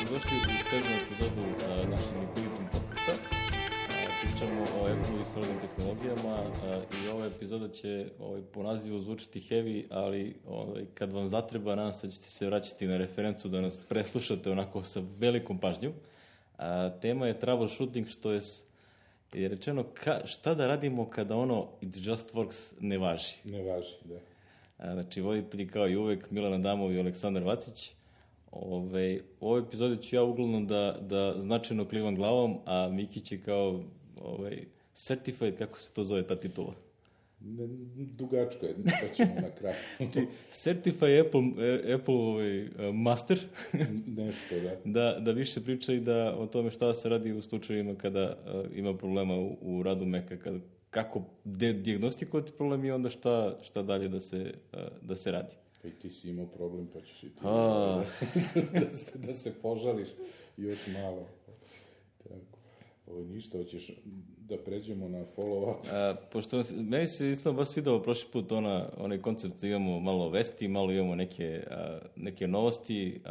dobrodošli u 7. epizodu našeg Infinitum podcasta. Pričamo o Apple i srodnim tehnologijama i ova epizoda će po nazivu zvučiti heavy, ali kad vam zatreba, nadam se da ćete se vraćati na referencu da nas preslušate onako sa velikom pažnjom. Tema je troubleshooting, što je rečeno šta da radimo kada ono it just works ne važi. Ne važi, da. Znači, voditelji kao i uvek Milan Adamov i Aleksandar Vacić. U ovoj epizodi ću ja uglavnom da značajno klivam glavom, a Miki će kao certified, kako se to zove ta titula? Dugačko je, pa ćemo na kraju. Znači, certified Apple master. Nešto, da. Da više priča i da o tome šta se radi u slučajevima kada ima problema u radu Maca, kako dijagnostikovati problem i onda šta dalje da se radi. I ti si imao problem, pa ćeš i ti da se požališ još malo. Tako. Ništa, hoćeš da pređemo na follow-up? Pošto meni se isto baš svidao prošli put onaj koncept da imamo malo vesti, malo imamo neke novosti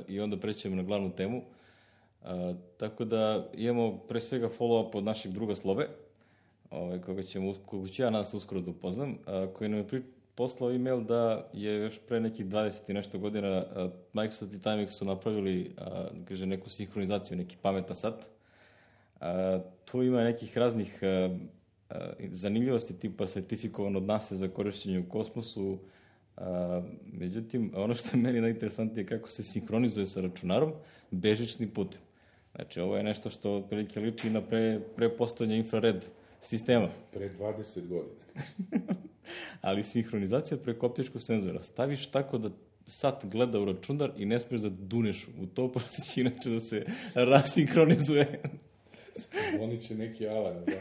i onda prećemo na glavnu temu. Tako da imamo pre svega follow-up od našeg druga Slobe, koga ću ja nas uskoro da upoznam, koji nam je poslao e-mail da je još pre nekih 20 i nešto godina Microsoft i Timex su napravili neku sinhronizaciju, neki pametan sat. Tu ima nekih raznih zanimljivosti tipa sertifikovan od NASA za korišćenje u kosmosu. Međutim, ono što je meni najinteresantnije je kako se sinhronizuje sa računarom bežičnim putem. Znači, ovo je nešto što otprilike liči na prepostojanje infrared sistema. Pre 20 godina. Ali sinhronizacija preko optičkog senzora. Staviš tako da sat gleda u računar i ne smiješ da duneš u to, pošto će inače da se rasinhronizuje. Zvonit će neki alarm, da?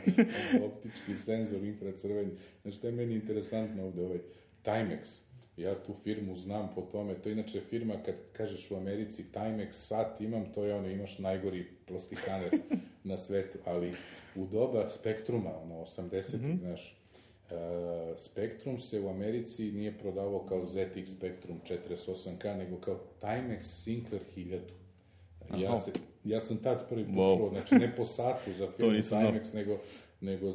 Optički senzor, infracrveni. Znači, što je meni interesantno ovde, Timex. Ja tu firmu znam po tome. To je inače firma, kad kažeš u Americi Timex sat imam, to je imaš najgori plastikaner na svetu. Ali u doba Spektruma, 80-ih, znaš, Spektrum se u Americi nije prodavao kao ZX Spectrum 48K, nego kao Timex Sinclair 1000. Ja sam tad prvi počuo, znači ne po satu za firmu Timex, nego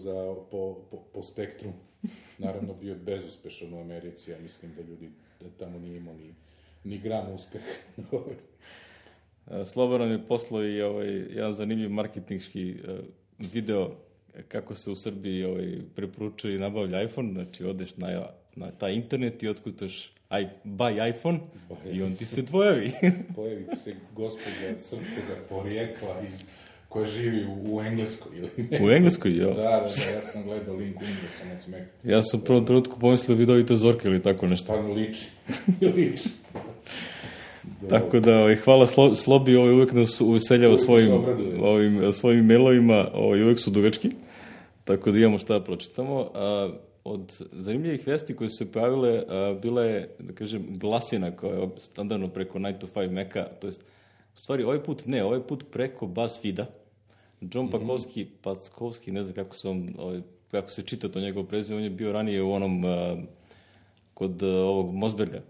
po Spektrum. Naravno, bio je bezuspešan u Americi, ja mislim da ljudi tamo nije imao ni gram uspeha. Slobodan je poslao i jedan zanimljiv marketinški video kako se u Srbiji preporučuje i nabavlja iPhone. Znači, odeš na taj internet i otkutaš buy iPhone i on ti se pojavi. Pojavi ti se gospođa srpskog porijekla koja živi u Engleskoj ili ne? U Engleskoj, ja. Da, ja sam gledao link u Engleskoj. Ja sam u prvom trenutku pomislio vidovite Zorke ili tako nešto. Stvarno liči. Tako da, hvala Slobi, uvek nas uveseljava svojim e-mailovima, uvek su dugački, tako da imamo šta da pročitamo. Od zanimljivih vesti koje su se pojavile, bila je, da kažem, glasina koja je standardno preko 9 to 5 Maca, to jest, u stvari, ovaj put preko BuzzFeeda. John Packovski, ne znam kako se čita to njegovo prezime, on je bio ranije u onom, kod ovog Mosberga.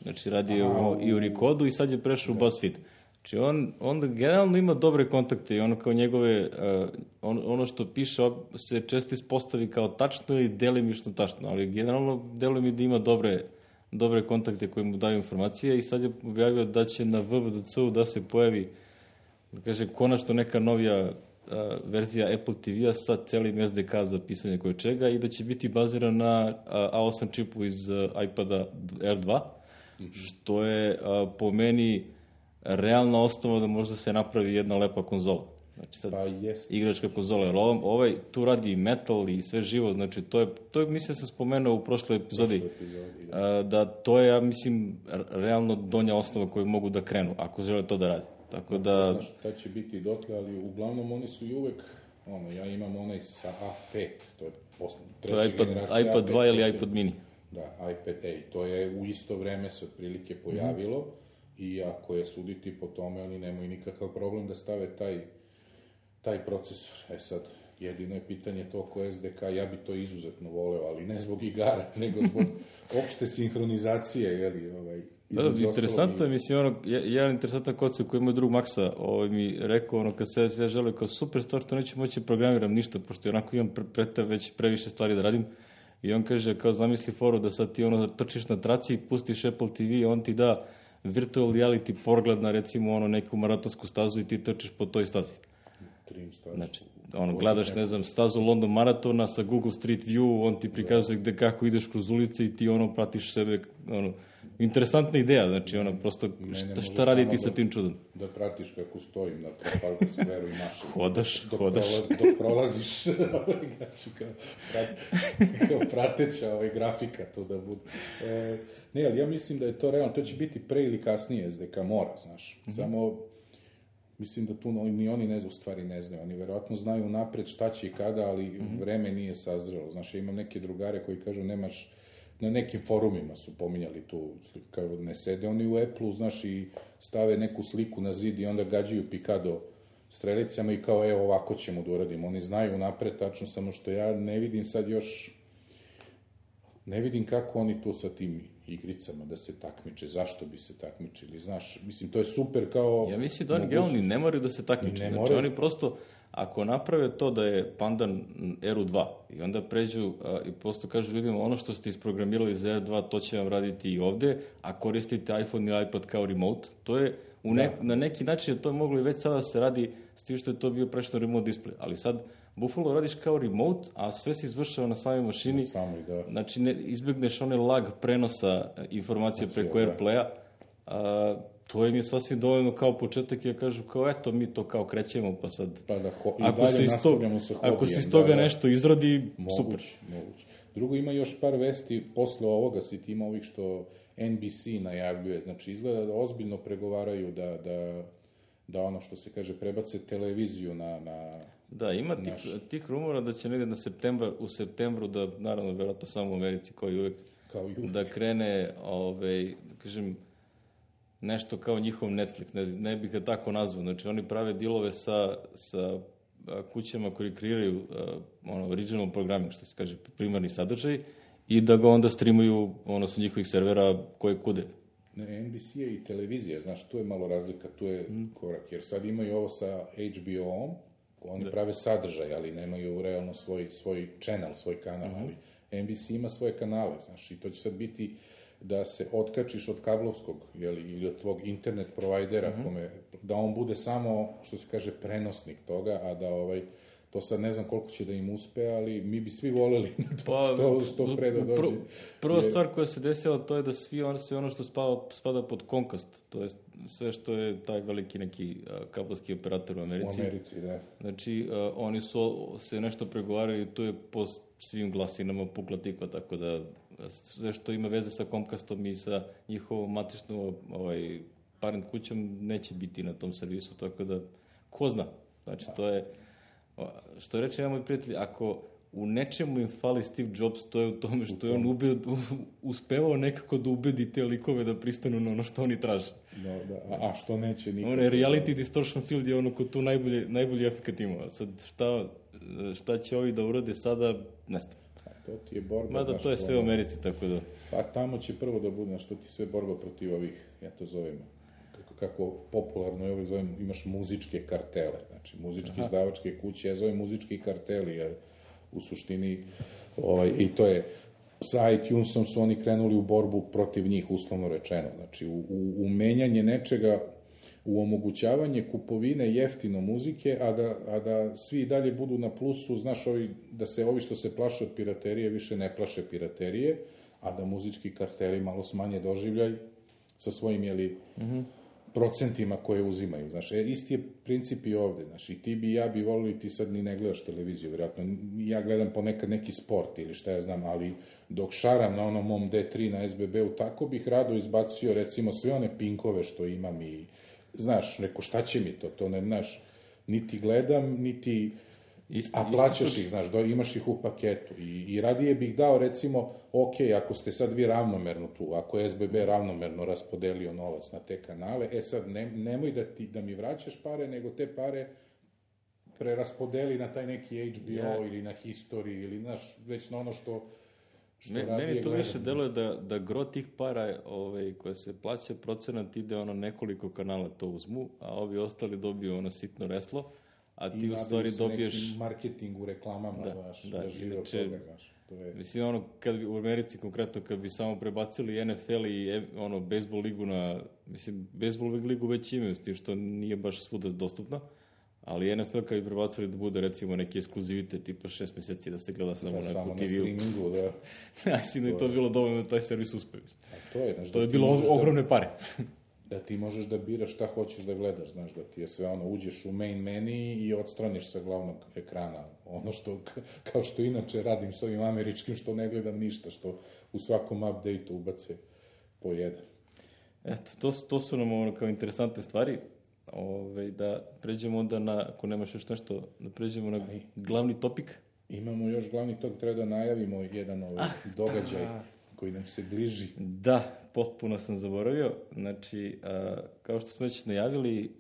Znači, radi i u Rekodu i sad je prešao u BuzzFeed. Znači, on generalno ima dobre kontakte i ono kao njegove, ono što piše se često ispostavi kao tačno ili delimično tačno, ali generalno deluje mi da ima dobre kontakte koji mu daju informacije i sad je objavio da će na WWDC-u da se pojavi, da kažem, konačno neka novija verzija Apple TV-a sa celim SDK za pisanje koje čega i da će biti baziran na A8 čipu iz iPada R2, što je po meni realna osnova da možda se napravi jedna lepa konzola. Znači sad, igračka konzola, jer tu radi metal i sve živo, znači to je mislim sam spomenuo u prošloj epizodi, da to je, ja mislim, realno donja osnova koju mogu da krenu, ako žele to da radi. Tako da... Znaš, taj će biti dotle, ali uglavnom oni su i uvek, ja imam onaj sa A5, to je treća generacija iPad 2 ili iPad mini. Da, iPad Air, to je u isto vreme se otprilike pojavilo i ako je suditi po tome, oni nemaju nikakav problem da stave taj procesor. Sad, Jedino je pitanje to ko SDK, ja bi to izuzetno voleo, ali ne zbog igara, nego zbog opšte sinhronizacije, jeli, interesantno je, mislim, jedan interesantan koncept koji moj drug Maksa mi rekao, kad se ja želeo kao super stvar, to neću moći programiram ništa, pošto onako imam već previše stvari da radim. I on kaže, kao zamisli foru da sad ti trčiš na traci, pustiš Apple TV, on ti da virtual reality pogled na recimo neku maratonsku stazu i ti trčiš po toj stazi. Znači, gledaš, ne znam, stazu London maratona sa Google Street View, on ti prikazuje gde kako ideš kroz ulice i ti pratiš sebe, interesantna ideja, znači prosto šta raditi sa tim čudom? Da pratiš kako stojim na Trafalgar Square-u i mašem. Hodaš. Dok prolaziš, kao prateća grafika to da bude. Ne, ali ja mislim da je to realno, to će biti pre ili kasnije SDK mora, znaš, samo mislim da tu ni oni ne znaju, oni verovatno znaju napred šta će i kada, ali vreme nije sazrelo. Znaš, ja imam neke drugare koji kažu nemaš, na nekim forumima su pominjali tu, kao ne sede oni u Apple-u, znaš, i stave neku sliku na zid i onda gađaju pikado strelicama i kao, evo, ovako ćemo da uradimo. Oni znaju napred, tačno, samo što ja ne vidim sad još, ne vidim kako oni tu sa tim igricama da se takmiče, zašto bi se takmičili, znaš, mislim, to je super kao... Ja mislim da oni generalni ne moraju da se takmiče, znači oni prosto, ako naprave to da je pandan Eru 2 i onda pređu i prosto kažu ljudima, ono što ste isprogramirali za Eru 2, to će vam raditi i ovde, a koristite iPhone ili iPad kao remote, to je, na neki način to je moglo i već sada da se radi s tim što je to bio prešno remote display, ali sad Buffalo radiš kao remote, a sve se izvršava na samoj mašini, znači izbjegneš onaj lag prenosa informacije preko AirPlaya, to im je sasvim dovoljno kao početak i ja kažu kao eto mi to kao krećemo pa sad ako se iz toga nešto izrodi, super. Moguće. Drugo, ima još par vesti posle ovoga, si ti ima ovih što NBC najavljuje, znači izgleda da ozbiljno pregovaraju da ono što se kaže prebace televiziju na... Da, ima tih rumora da će negde u septembru da, naravno, verovatno samo u Americi kao i uvek, da krene, kažem, nešto kao njihov Netflix, ne bih ga tako nazvao, znači oni prave dilove sa kućama koji kreiraju original programming, što se kaže, primarni sadržaj, i da ga onda streamuju sa njihovih servera koje kude. NBC je i televizija, znaš, tu je malo razlika, tu je korak, jer sad imaju ovo sa HBO-om, oni prave sadržaj, ali nemaju realno svoj channel, svoj kanal, ali NBC ima svoje kanale, znaš, i to će sad biti da se otkačiš od kablovskog, ili od tvog internet provajdera, da on bude samo, što se kaže, prenosnik toga, a da to sad ne znam koliko će da im uspe, ali mi bi svi voleli što pre da dođe. Prva stvar koja se desila, to je da sve ono što spada pod Comcast, to je sve što je taj veliki neki kablovski operator u Americi. U Americi, da. Znači, oni su se nešto pregovarali, to je po svim glasinama pukla tikva, tako da sve što ima veze sa Comcastom i sa njihovom matičnom parent kućom neće biti na tom servisu, tako da, ko zna. Znači, to je... Što reče moj prijatelj, ako u nečemu im fali Steve Jobs, to je u tome što je on uspevao nekako da ubedi te likove da pristanu na ono što oni traže. A što neće nikako? Reality distortion field je ono ko tu najbolji efekat ima. Sad šta će ovi da urade sada, ne znam. To ti je borba. Mada to je sve u Americi, tako da... Pa tamo će prvo da bude, što ti sve borba protiv ovih, ja to zovem, kako popularno je zovem, imaš muzičke kartele, znači muzičke izdavačke kuće, ja zovem muzički karteli, jer u suštini, i to je, sa iTunesom su oni krenuli u borbu protiv njih, uslovno rečeno, znači u menjanje nečega, u omogućavanje kupovine jeftino muzike, a da svi dalje budu na plusu, znaš, da se ovi što se plaše od piraterije više ne plaše piraterije, a da muzički karteli malo smanje doživljaj sa svojim, procentima koje uzimaju, znaš, isti je princip i ovde, znaš, i ti bi, ja bi volili, ti sad ni ne gledaš televiziju, vjerojatno, ja gledam ponekad neki sport ili šta ja znam, ali dok šaram na onom mom D3 na SBB-u, tako bih rado izbacio, recimo, sve one pinkove što imam i, znaš, neko, šta će mi to ne, znaš, niti gledam, niti... A plaćaš ih, znaš, imaš ih u paketu i radije bih dao, recimo, ok, ako ste sad vi ravnomerno tu, ako je SBB ravnomerno raspodelio novac na te kanale, sad nemoj da mi vraćaš pare, nego te pare preraspodeli na taj neki HBO ili na History ili već na ono što radi. Meni to više deluje da gro tih para koje se plaća procenat ide nekoliko kanala to uzmu, a ovi ostali dobiju sitno reslo, a ti u stvari dobiješ... I marketing u reklamama, da žive od toga, znaš. Mislim, kad bi u Americi konkretno, kad bi samo prebacili NFL i bejsbol ligu mislim, bejsbol ligu već imaju, s tim što nije baš svuda dostupna, ali NFL kad bi prebacili da bude, recimo, neki ekskluzivitet, tipa 6 meseci da se gleda samo na TV-u. Na streamingu, da. Mislim da je to bilo dovoljno da taj servis uspevi. To je da bilo ogromne pare. Da ti možeš da biraš šta hoćeš da gledaš, znaš, da ti je sve uđeš u main menu i odstraniš sa glavnog ekrana. Ono što, kao što inače radim s ovim američkim, što ne gledam ništa, što u svakom update-u ubace po jedan. Eto, to su nam kao interesantne stvari. Da pređemo onda ako nemaš još nešto, da pređemo na glavni topik. Imamo još glavni topik, treba da najavimo jedan događaj koji nam se bliži. Da, potpuno sam zaboravio. Znači, kao što smo već najavili,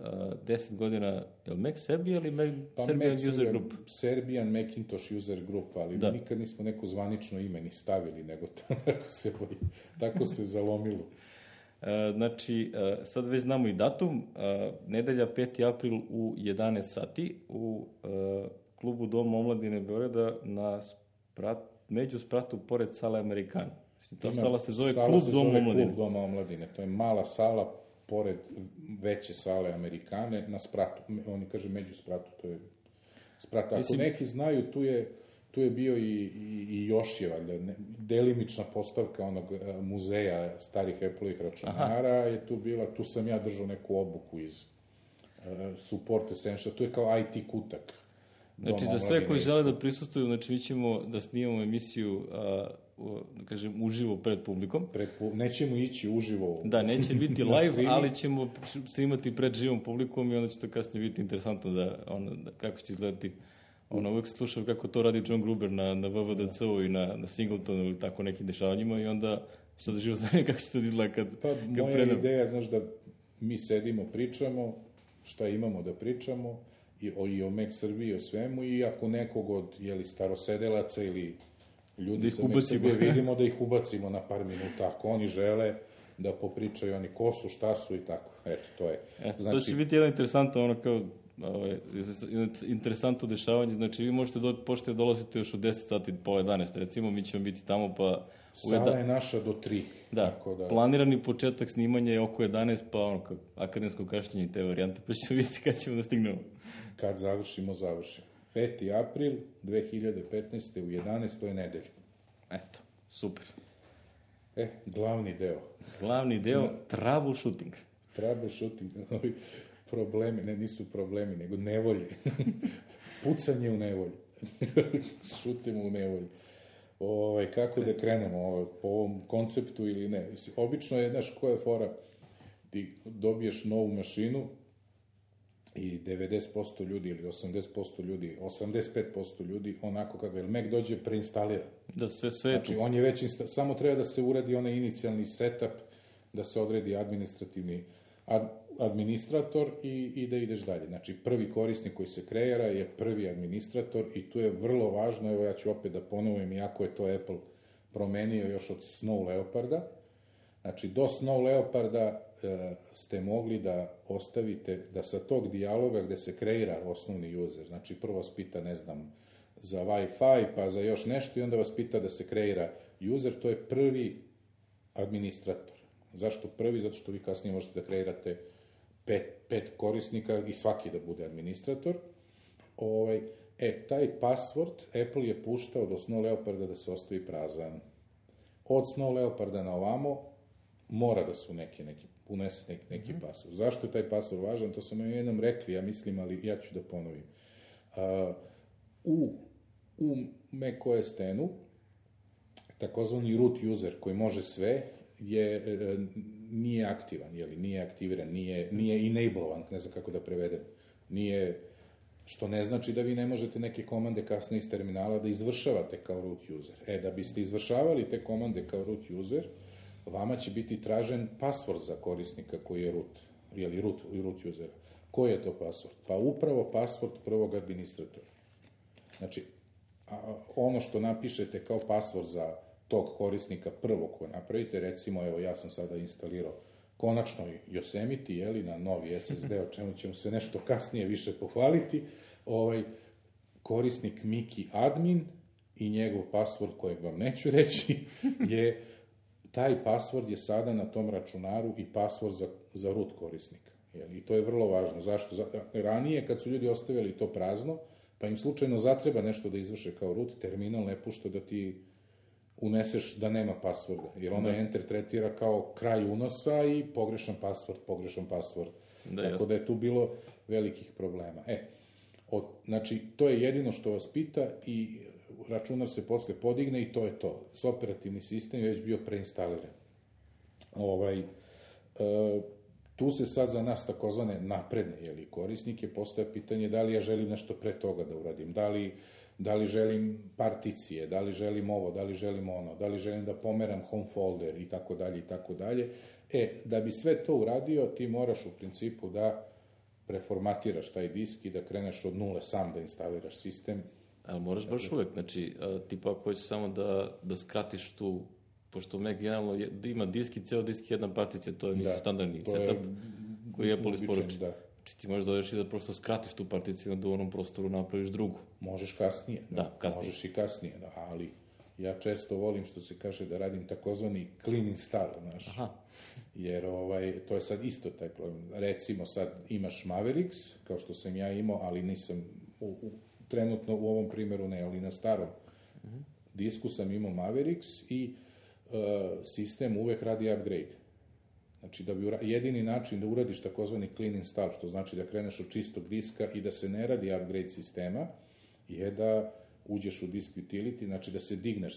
10 godina, je li Mac Serbia ili Serbian User Group? Serbian Macintosh User Group, ali nikad nismo neko zvanično ime ni stavili, nego tako se zalomilo. Znači, sad već znamo i datum, nedelja 5. april u 11 sati u klubu Dom omladine Beograda na među spratu pored sale Amerikana. Ta sala se zove Klub Dom omladine. To je mala sala pored veće sale Amerikane na spratu. Oni kaže među spratu, to je sprat. Ako neki znaju, tu je bio i Jošjeva, delimična postavka onog muzeja starih Apple-ovih računara je tu bila, tu sam ja držao neku obuku iz Support Essential, tu je kao IT kutak. Znači, za sve koji žele da prisustuju, znači mi ćemo da snimamo emisiju, da kažem, uživo pred publikom. Nećemo ići uživo. Da, neće biti live, ali ćemo snimati pred živom publikom i onda će to kasnije biti interesantno kako će izgledati. Uvek se slušao kako to radi John Gruber na VVDC-u i na Singletonu ili tako nekim dešavanjima i onda sad živo znam kako će to izgleda kad predam. Moja ideja, znaš, da mi sedimo, pričamo, šta imamo da pričamo, i o Mac Srbiji, i o svemu, i ako nekog od starosedelaca ili ljudi sa Mac Srbije vidimo, da ih ubacimo na par minuta, ako oni žele da popričaju oni ko su, šta su i tako. Eto, to je. To će biti jedan interesantno dešavanje, znači vi možete dolaziti još u 10 sati, pola 11, recimo, mi ćemo biti tamo, pa... Sala je naša do 3. Da, planirani početak snimanja je oko 11, pa akademsko kašnjenje i te varijante, pa ćemo vidjeti kad ćemo da stignemo. Kad završimo. 5. april 2015. u 11. to je nedelja. Eto, super. Glavni deo, troubleshooting. Troubleshooting, problemi, nisu problemi, nego nevolje. Pucanje u nevolju. Šutimo u nevolju. Kako da krenemo po ovom konceptu ili ne? Obično je, znaš, koja je fora? Ti dobiješ novu mašinu i 90% ljudi ili 80% ljudi, 85% ljudi, onako kako je Mac dođe preinstaliran. Da, sve je tu. Znači, on je već, samo treba da se uradi onaj inicijalni setup, da se odredi administrator i da ideš dalje. Znači, prvi korisnik koji se kreira je prvi administrator i tu je vrlo važno, evo ja ću opet da ponovim, iako je to Apple promenio još od Snow Leoparda. Znači, do Snow Leoparda ste mogli da ostavite, da sa tog dijaloga gde se kreira osnovni user, znači prvo vas pita, ne znam, za Wi-Fi, pa za još nešto i onda vas pita da se kreira user, to je prvi administrator. Zašto prvi? Zato što vi kasnije možete da kreirate pet korisnika i svaki da bude administrator. Taj password Apple je puštao do Snow Leoparda da se ostavi prazan. Od Snow Leoparda na ovamo mora da su unese neki password. Zašto je taj password važan? To sam jednom rekli, ja mislim, ali ja ću da ponovim. U macOS X-u takozvani root user koji može sve nije aktivan, nije aktiviran, nije enablovan, ne znam kako da prevedem. Što ne znači da vi ne možete neke komande kasnije iz terminala da izvršavate kao root user. Da biste izvršavali te komande kao root user, vama će biti tražen password za korisnika koji je root usera. Koji je to password? Pa upravo password prvog administratora. Znači, ono što napišete kao password za tog korisnika prvog koji napravite, recimo, evo, ja sam sada instalirao konačno Yosemite, jeli, na novi SSD, o čemu ćemo se nešto kasnije više pohvaliti, korisnik Miki admin i njegov password, kojeg vam neću reći, taj password je sada na tom računaru i password za root korisnika. I to je vrlo važno. Zašto? Ranije, kad su ljudi ostavili to prazno, pa im slučajno zatreba nešto da izvrše kao root, terminal ne pušta da ti uneseš da nema passworda, jer ono enter tretira kao kraj unosa i pogrešan password. Tako da je tu bilo velikih problema. Znači, to je jedino što vas pita i računar se posle podigne i to je to. Operativni sistem je već bio preinstaliran. Tu se sad za nas takozvane napredne korisnike postaje pitanje da li ja želim nešto pre toga da uradim, da li želim particije, da li želim ovo, da li želim ono, da li želim da pomeram home folder i tako dalje i tako dalje. Da bi sve to uradio, ti moraš u principu da preformatiraš taj disk i da kreneš od nule sam da instaliraš sistem. Ali moraš baš uvek, znači, tipa ako hoćeš samo da skratiš tu, pošto Mac generalno ima disk i ceo disk jedna particija, to je standardni setup koji Apple isporuči. Znači ti možeš dodeš i da prosto skratiš tu particiju, da u onom prostoru napraviš drugu. Možeš kasnije. Možeš i kasnije, ali ja često volim, što se kaže, da radim takozvani clean install, znaš. Jer to je sad isto taj problem. Recimo sad imaš Mavericks, kao što sam ja imao, ali nisam trenutno u ovom primjeru ne, ali na starom disku sam imao Mavericks i sistem uvek radi upgrade. Znači, jedini način da uradiš takozvani clean install, što znači da kreneš od čistog diska i da se ne radi upgrade sistema, je da uđeš u disk utility, znači da se digneš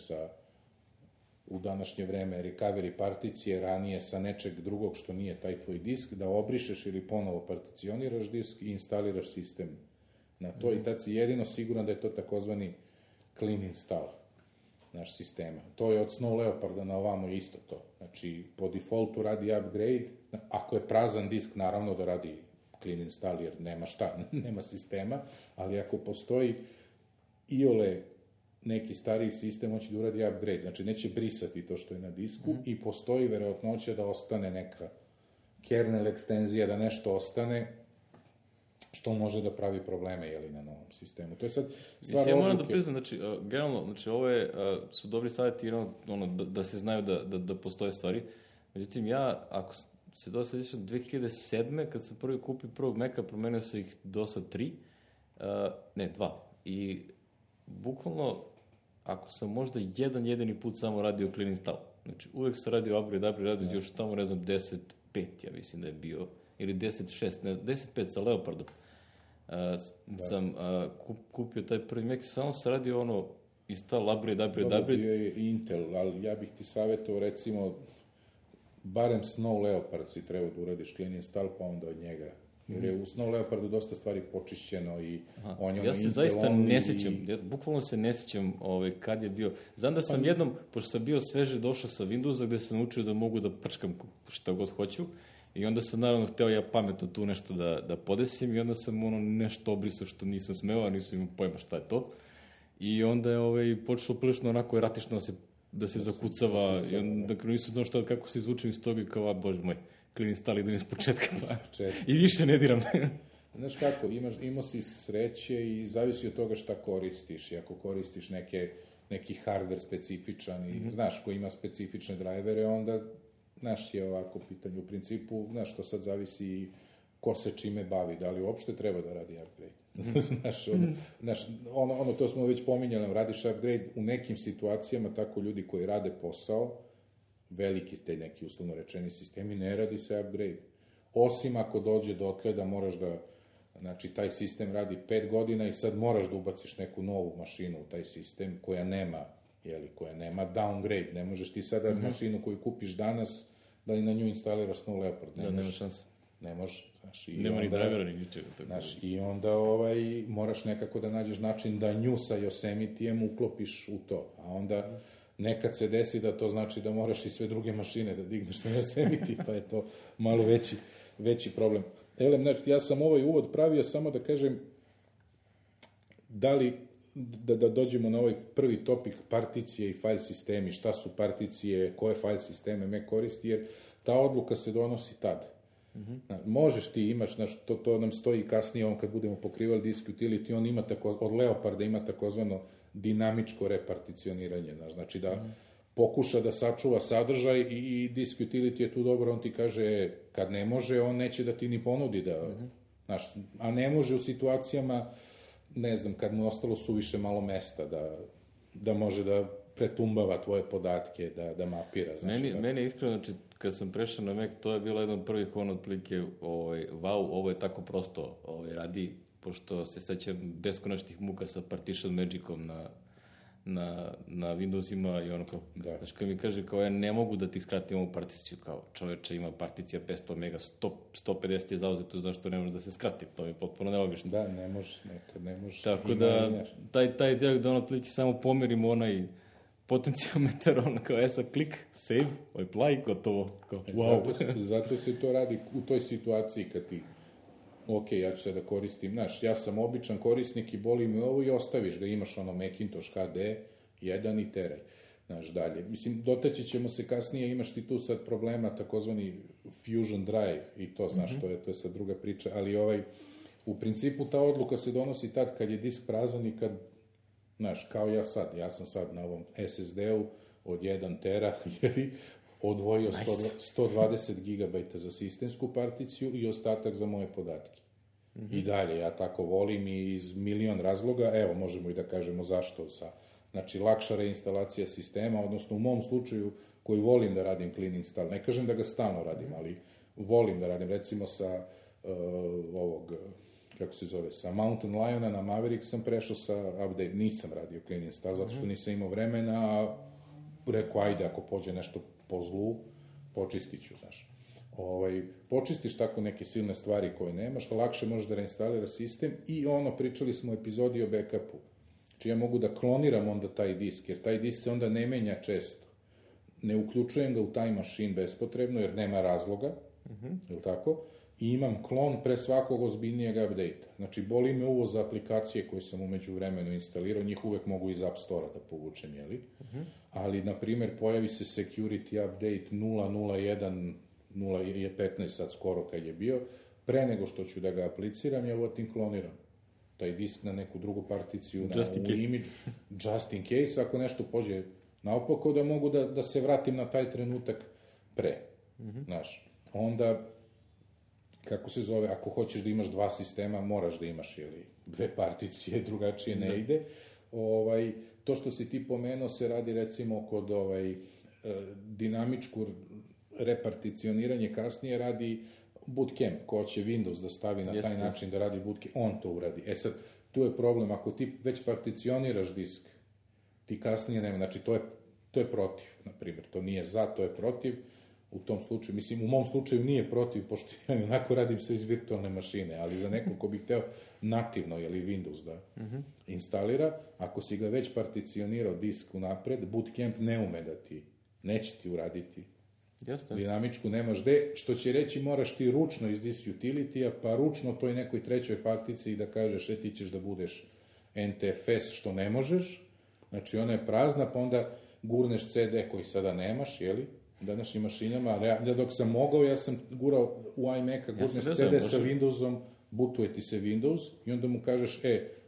u današnje vreme recovery particije, ranije sa nečeg drugog što nije taj tvoj disk, da obrišeš ili ponovo particioniraš disk i instaliraš sistem na to i tad si jedino siguran da je to takozvani clean install naš sistema. To je od Snow Leoparda na ovamo isto to. Znači, po defaultu radi upgrade, ako je prazan disk, naravno da radi clean install, jer nema šta, nema sistema, ali ako postoji iole neki stariji sistem, on će da uradi upgrade, znači neće brisati to što je na disku i postoji verovatnoća da ostane neka kernel ekstenzija, da nešto ostane, što može da pravi probleme, na novom sistemu. To je sad stvar odluke. Ja moram da priznam, znači, generalno, znači, ove su dobri savjeti, da se znaju da postoje stvari. Međutim, ja, ako se dosta sjećam, 2007. kad sam prvi kupio prvog Maca, promenio sam ih do sad 2. I bukvalno, ako sam možda jedini put samo radio clean install, znači, uvek sam radio upgrade, još tamo, ne znam, 10.5, ja mislim da je bio, ili 10.6, 10.5 sa Leopardom. Sam kupio taj prvi Mac, samo se radio install, upgrade. Dobro, bio je Intel, ali ja bih ti savjetovao, recimo, barem Snow Leopard si treba da uradiš clean install, pa onda od njega. Jer je u Snow Leopardu dosta stvari počišćeno i on je ja se zaista ne sećam, bukvalno se ne sećam kad je bio. Znam da sam jednom, pošto sam bio sveže došao sa Windowsa, gde sam naučio da mogu da prčkam šta god hoću, i onda sam naravno hteo ja pametno tu nešto da podesim i onda sam nešto obrisao što nisam smeo, a nisam imao pojma šta je to. I onda je počelo prilično onako eratično da se zakucava i onda nisam znao šta, kako se izvučem iz toga i kao, bože moj, clean install idem iz početka i više ne diram. Znaš kako, imao si sreće i zavisi od toga šta koristiš. I ako koristiš neki hardware specifičan i znaš ko ima specifične drajvere, onda naš je ovako pitanje. U principu, znaš, to sad zavisi ko se čime bavi, da li uopšte treba da radi upgrade. Znaš, to smo već pominjali, radiš upgrade u nekim situacijama, tako ljudi koji rade posao, veliki te neki uslovno rečeni sistemi, ne radi se upgrade. Osim ako dođe dotle da moraš da, znači, taj sistem radi 5 godina i sad moraš da ubaciš neku novu mašinu u taj sistem koja nema downgrade. Ne možeš ti sada mašinu koju kupiš danas da i na nju instaliraš Snow Leopard. Nema šanse. Ne može. Nema ni drivera, ni ničega. I onda moraš nekako da nađeš način da nju sa Yosemitijem uklopiš u to. A onda nekad se desi da to znači da moraš i sve druge mašine da digneš na Yosemite, pa je to malo veći problem. ja sam ovaj uvod pravio samo da kažem da dođemo na ovaj prvi topik particije i file sistemi, šta su particije, koje file sisteme Mac koristi, jer ta odluka se donosi tad. Možeš ti, imaš, to nam stoji kasnije, on kad budemo pokrivali disk utility, on ima od Leoparda ima takozvano dinamičko reparticioniranje, znači da pokuša da sačuva sadržaj i disk utility je tu dobro, on ti kaže, kad ne može, on neće da ti ni ponudi da, a ne može u situacijama, ne znam, kad mu je ostalo suviše malo mesta da može da pretumbava tvoje podatke, da mapira. Meni je iskreno, znači, kad sam prešao na Mac, to je bilo jedan od prvih otprilike, wow, ovo je tako prosto radi, pošto se sećam beskonačnih muka sa Partition Magicom na Windowsima i ono kao, znaš, kad mi kaže kao ja ne mogu da ti skratim ovu particiju, kao čoveče ima particija 500 mega, 150 je zauzeto, zašto ne može da se skrati, to mi je potpuno nelogično. Da, ne može, nekad ne može. Tako da, taj deo gde ono pliki samo pomerimo onaj potencijometar, ono kao sa klik, save, apply, gotovo, kao wow. Zato se to radi u toj situaciji kad ti ok, ja ću se da koristim, znaš, ja sam običan korisnik i boli mi ovo i ostaviš ga, imaš ono Macintosh HD 1 i teraj, znaš, dalje. Mislim, dotaći ćemo se kasnije, imaš ti tu sad problema, takozvani Fusion Drive i to, znaš, to je sad druga priča, ali u principu ta odluka se donosi tad kad je disk prazan i kad, znaš, kao ja sam sad na ovom SSD-u od 1 tera, odvojio 120 GB za sistemsku particiju i ostatak za moje podatke. I dalje, ja tako volim i iz milion razloga, evo, možemo i da kažemo zašto. Znači, lakša reinstalacija sistema, odnosno u mom slučaju, koji volim da radim clean install, ne kažem da ga stalno radim, ali volim da radim, recimo sa sa Mountain Liona na Maverick sam prešao sa update, nisam radio clean install, zato što nisam imao vremena, a rekao, ajde, ako pođe nešto po zlu, počistit ću, znaš. Počistiš tako neke silne stvari koje nemaš, lakše možeš da reinstaliraš sistem i pričali smo u epizodi o backupu. Znači ja mogu da kloniram onda taj disk, jer taj disk se onda ne menja često. Ne uključujem ga u taj mašin bespotrebno, jer nema razloga, je li tako? I imam klon pre svakog ozbiljnijeg update-a. Znači, boli me uvo za aplikacije koje sam umeđu vremenu instalirao, njih uvek mogu iz App Store-a da povučem, jeli? Ali, na primer, pojavi se security update 0.0.1, 0.15 sad skoro kad je bio, pre nego što ću da ga apliciram, ja tim kloniram taj disk na neku drugu particiju, u image, just in case, ako nešto pođe naopako, da mogu da se vratim na taj trenutak pre, znaš. Onda, kako se zove, ako hoćeš da imaš dva sistema, moraš da imaš, dve particije, drugačije ne ide. To što si ti pomenuo se radi, recimo, kod dinamičku reparticioniranje kasnije radi Bootcamp, ko će Windows da stavi na taj način da radi Bootcamp, on to uradi. E sad, tu je problem, ako ti već particioniraš disk, ti kasnije nema, znači to je protiv, na primjer, to nije za, to je protiv. U tom slučaju, mislim, u mom slučaju nije protiv, pošto ja onako radim sve iz virtualne mašine, ali za nekog ko bi hteo nativno, Windows da instalira, ako si ga već particionirao disk unapred, Bootcamp ne ume da neće ti uraditi. Dinamičku nemaš gde, što će reći moraš ti ručno iz disk utility-a, pa ručno toj nekoj trećoj particiji da kažeš, ti ćeš da budeš NTFS, što ne možeš, znači ona je prazna, pa onda gurneš CD koji sada nemaš, današnjim mašinama, ja dok sam mogao, ja sam gurao u iMac-a, gurneš CD sa Windowsom, bootuje ti se Windows i onda mu kažeš,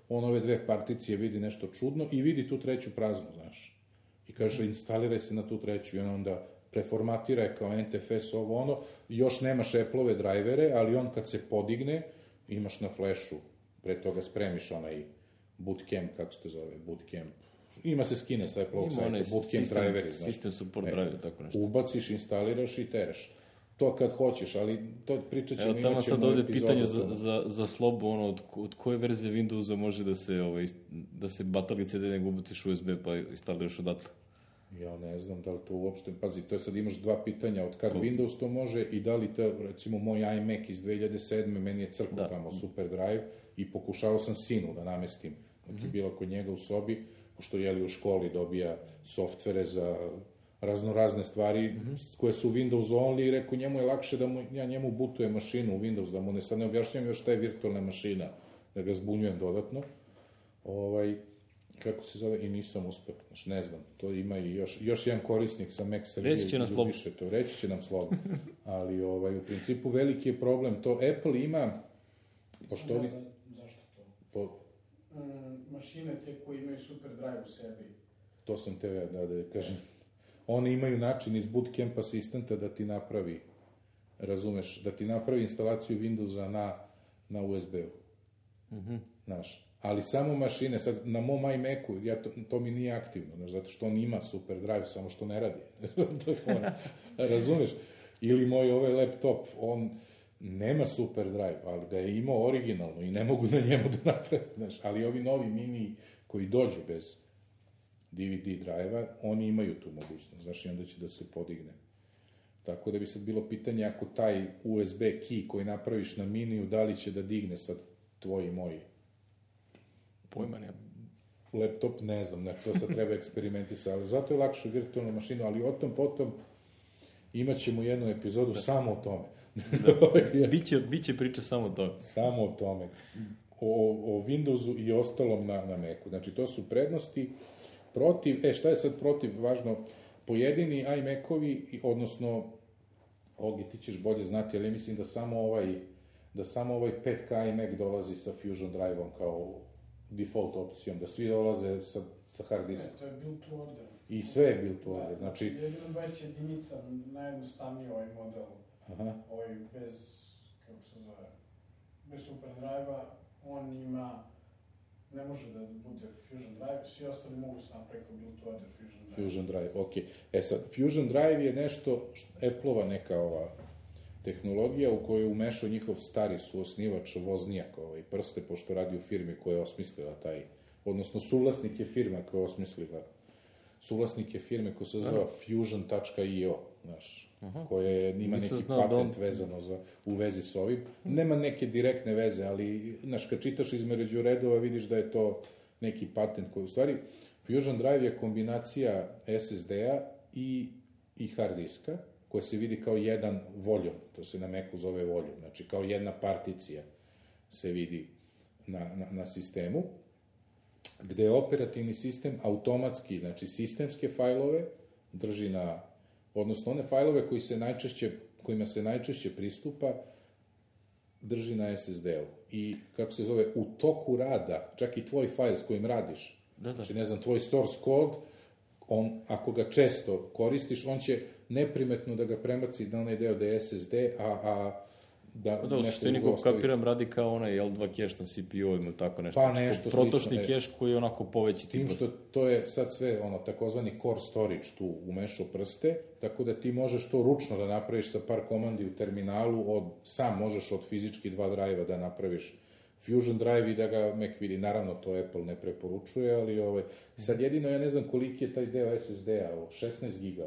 on ove dve particije vidi nešto čudno i vidi tu treću praznu, znaš. I kaže, instaliraj se na tu treću i onda preformatira je kao NTFS ovo ono, još nemaš Apple-ove drajvere, ali on kad se podigne, imaš na flashu, pre toga spremiš onaj Bootcamp, kako se to zove, Bootcamp, ima se skine sa Apple-ovog sajta, Bootcamp driveri, znaš. System support driver, tako nešto. Ubaciš, instaliraš i teraš. To kad hoćeš, ali to pričat ćemo, imat ćemo sad ovde pitanje za Slobu, od koje verzije Windowsa može da se batali CD nego ubaciš USB pa instaliraš odatle? Ja ne znam da li to uopšte, pazi, to je sad imaš dva pitanja, od kad Windows to može i da li to, recimo, moj iMac iz 2007. meni je crkao tamo super drive i pokušao sam sinu da namestim, dok je bilo kod njega u sobi, pošto u školi dobija softvere za razne stvari koje su Windows only i rekao njemu je lakše da ja njemu butujem mašinu u Windows, da mu ne sad ne objašnjam još šta je virtualna mašina, da ga zbunjujem dodatno. Kako se zove, i nisam uspeo, znači ne znam, to ima i još jedan korisnik sa Mac Srbije. Reći će nam slobodno. Reći će nam slobodno, ali u principu veliki je problem, to Apple ima, pošto ovi... Zašto to? Mašine te koje imaju super drive u sebi. To sam te da kažem. Oni imaju način iz bootcamp asistenta da ti napravi, razumeš, da ti napravi instalaciju Windowsa na USB-u. Znaš, ali samo mašine, sad na mom iMacu, to mi nije aktivno, znaš, zato što on ima super drive, samo što ne radi. Razumeš? Ili moj laptop, on nema super drive, ali ga je imao originalno i ne mogu na njemu da napravim, znaš, ali ovi novi mini koji dođu bez DVD drive-a, oni imaju tu mogućnost, znaš, i onda će da se podigne. Tako da bi sad bilo pitanje ako taj USB key koji napraviš na miniju, da li će da digne sad tvoj i moj pojma nema. Laptop, ne znam, to sad treba eksperimentisati, ali zato je lakše virtualnu mašinu, ali o tom potom imat ćemo jednu epizodu samo o tome. Biće priča samo o tome. Samo o tome. O Windowsu i ostalom na Macu. Znači, to su prednosti. Protiv, šta je sad protiv, važno, pojedini iMac-ovi, odnosno, Ogi, ti ćeš bolje znati, ali mislim da samo ovaj 5K iMac dolazi sa Fusion Drive-om kao default opcijom, da svi dolaze sa hard diskom. To je build to order. I sve je build to order, znači... Jedino 20 jedinica, najjednostavniji ovaj model, bez, kako se zove, bez super drive-a, on ima, ne može da bude Fusion Drive, svi ostali mogu se napraviti kao build to order Fusion Drive. Fusion Drive, okej. Sad, Fusion Drive je nešto, Apple-ova neka tehnologija u kojoj je umešao njihov stari suosnivač Voznijak, prste, pošto radi u firmi koja je osmislila taj, odnosno suvlasnik je firma koja je osmislila, suvlasnik je firme koja se zove Fusion.io, znaš, koja ima neki patent vezano u vezi s ovim. Nema neke direktne veze, ali, znaš, kad čitaš između redova, vidiš da je to neki patent koji, u stvari, Fusion Drive je kombinacija SSD-a i hard diska, koja se vidi kao jedan volume, to se na Macu zove volume, znači kao jedna particija se vidi na sistemu, gde operativni sistem automatski, znači sistemske fajlove drži odnosno one fajlove kojima se najčešće pristupa, drži na SSD-u. I, kako se zove, u toku rada, čak i tvoj fajl s kojim radiš, znači, ne znam, tvoj source code, on, ako ga često koristiš, on će neprimetno da ga prebaci na onaj deo da je SSD, da u suštini ko kapiram radi kao onaj L2 cache na CPU ili tako nešto. Pa nešto slično. Protočni cache koji je onako poveći. Tim što to je sad sve takozvani core storage tu umešao prste, tako da ti možeš to ručno da napraviš sa par komandi u terminalu, sam možeš od fizički 2 drive-a da napraviš Fusion Drive i da ga Mac vidi. Naravno, to Apple ne preporučuje, ali sad jedino ja ne znam koliki je taj deo SSD-a, 16 giga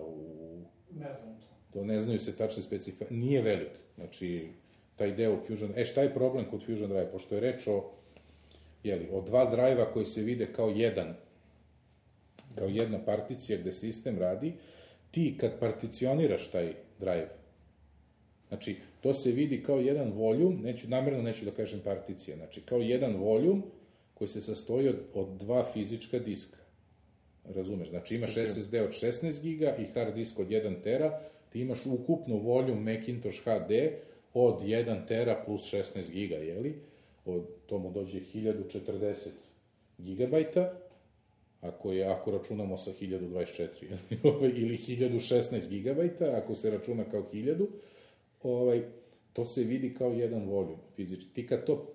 Ne znam to. To ne znaju se tačne specifikacije. Nije velik, znači taj deo Fusion... šta je problem kod Fusion Drive? Pošto je reč o 2 drive-a koji se vide kao jedna particija gde sistem radi, ti kad particioniraš taj drive, znači, to se vidi kao jedan voljum, namerno neću da kažem particija, znači, kao jedan voljum koji se sastoji od 2 fizička diska. Razumeš? Znači, imaš SSD od 16 giga i hard disk od 1 tera, ti imaš ukupno voljum Macintosh HD od 1 tera plus 16 giga, jeli? To mu dođe 1040 gigabajta, ako računamo sa 1024, ili 1016 gigabajta, ako se računa kao 1000, to se vidi kao jedan voljum fizički.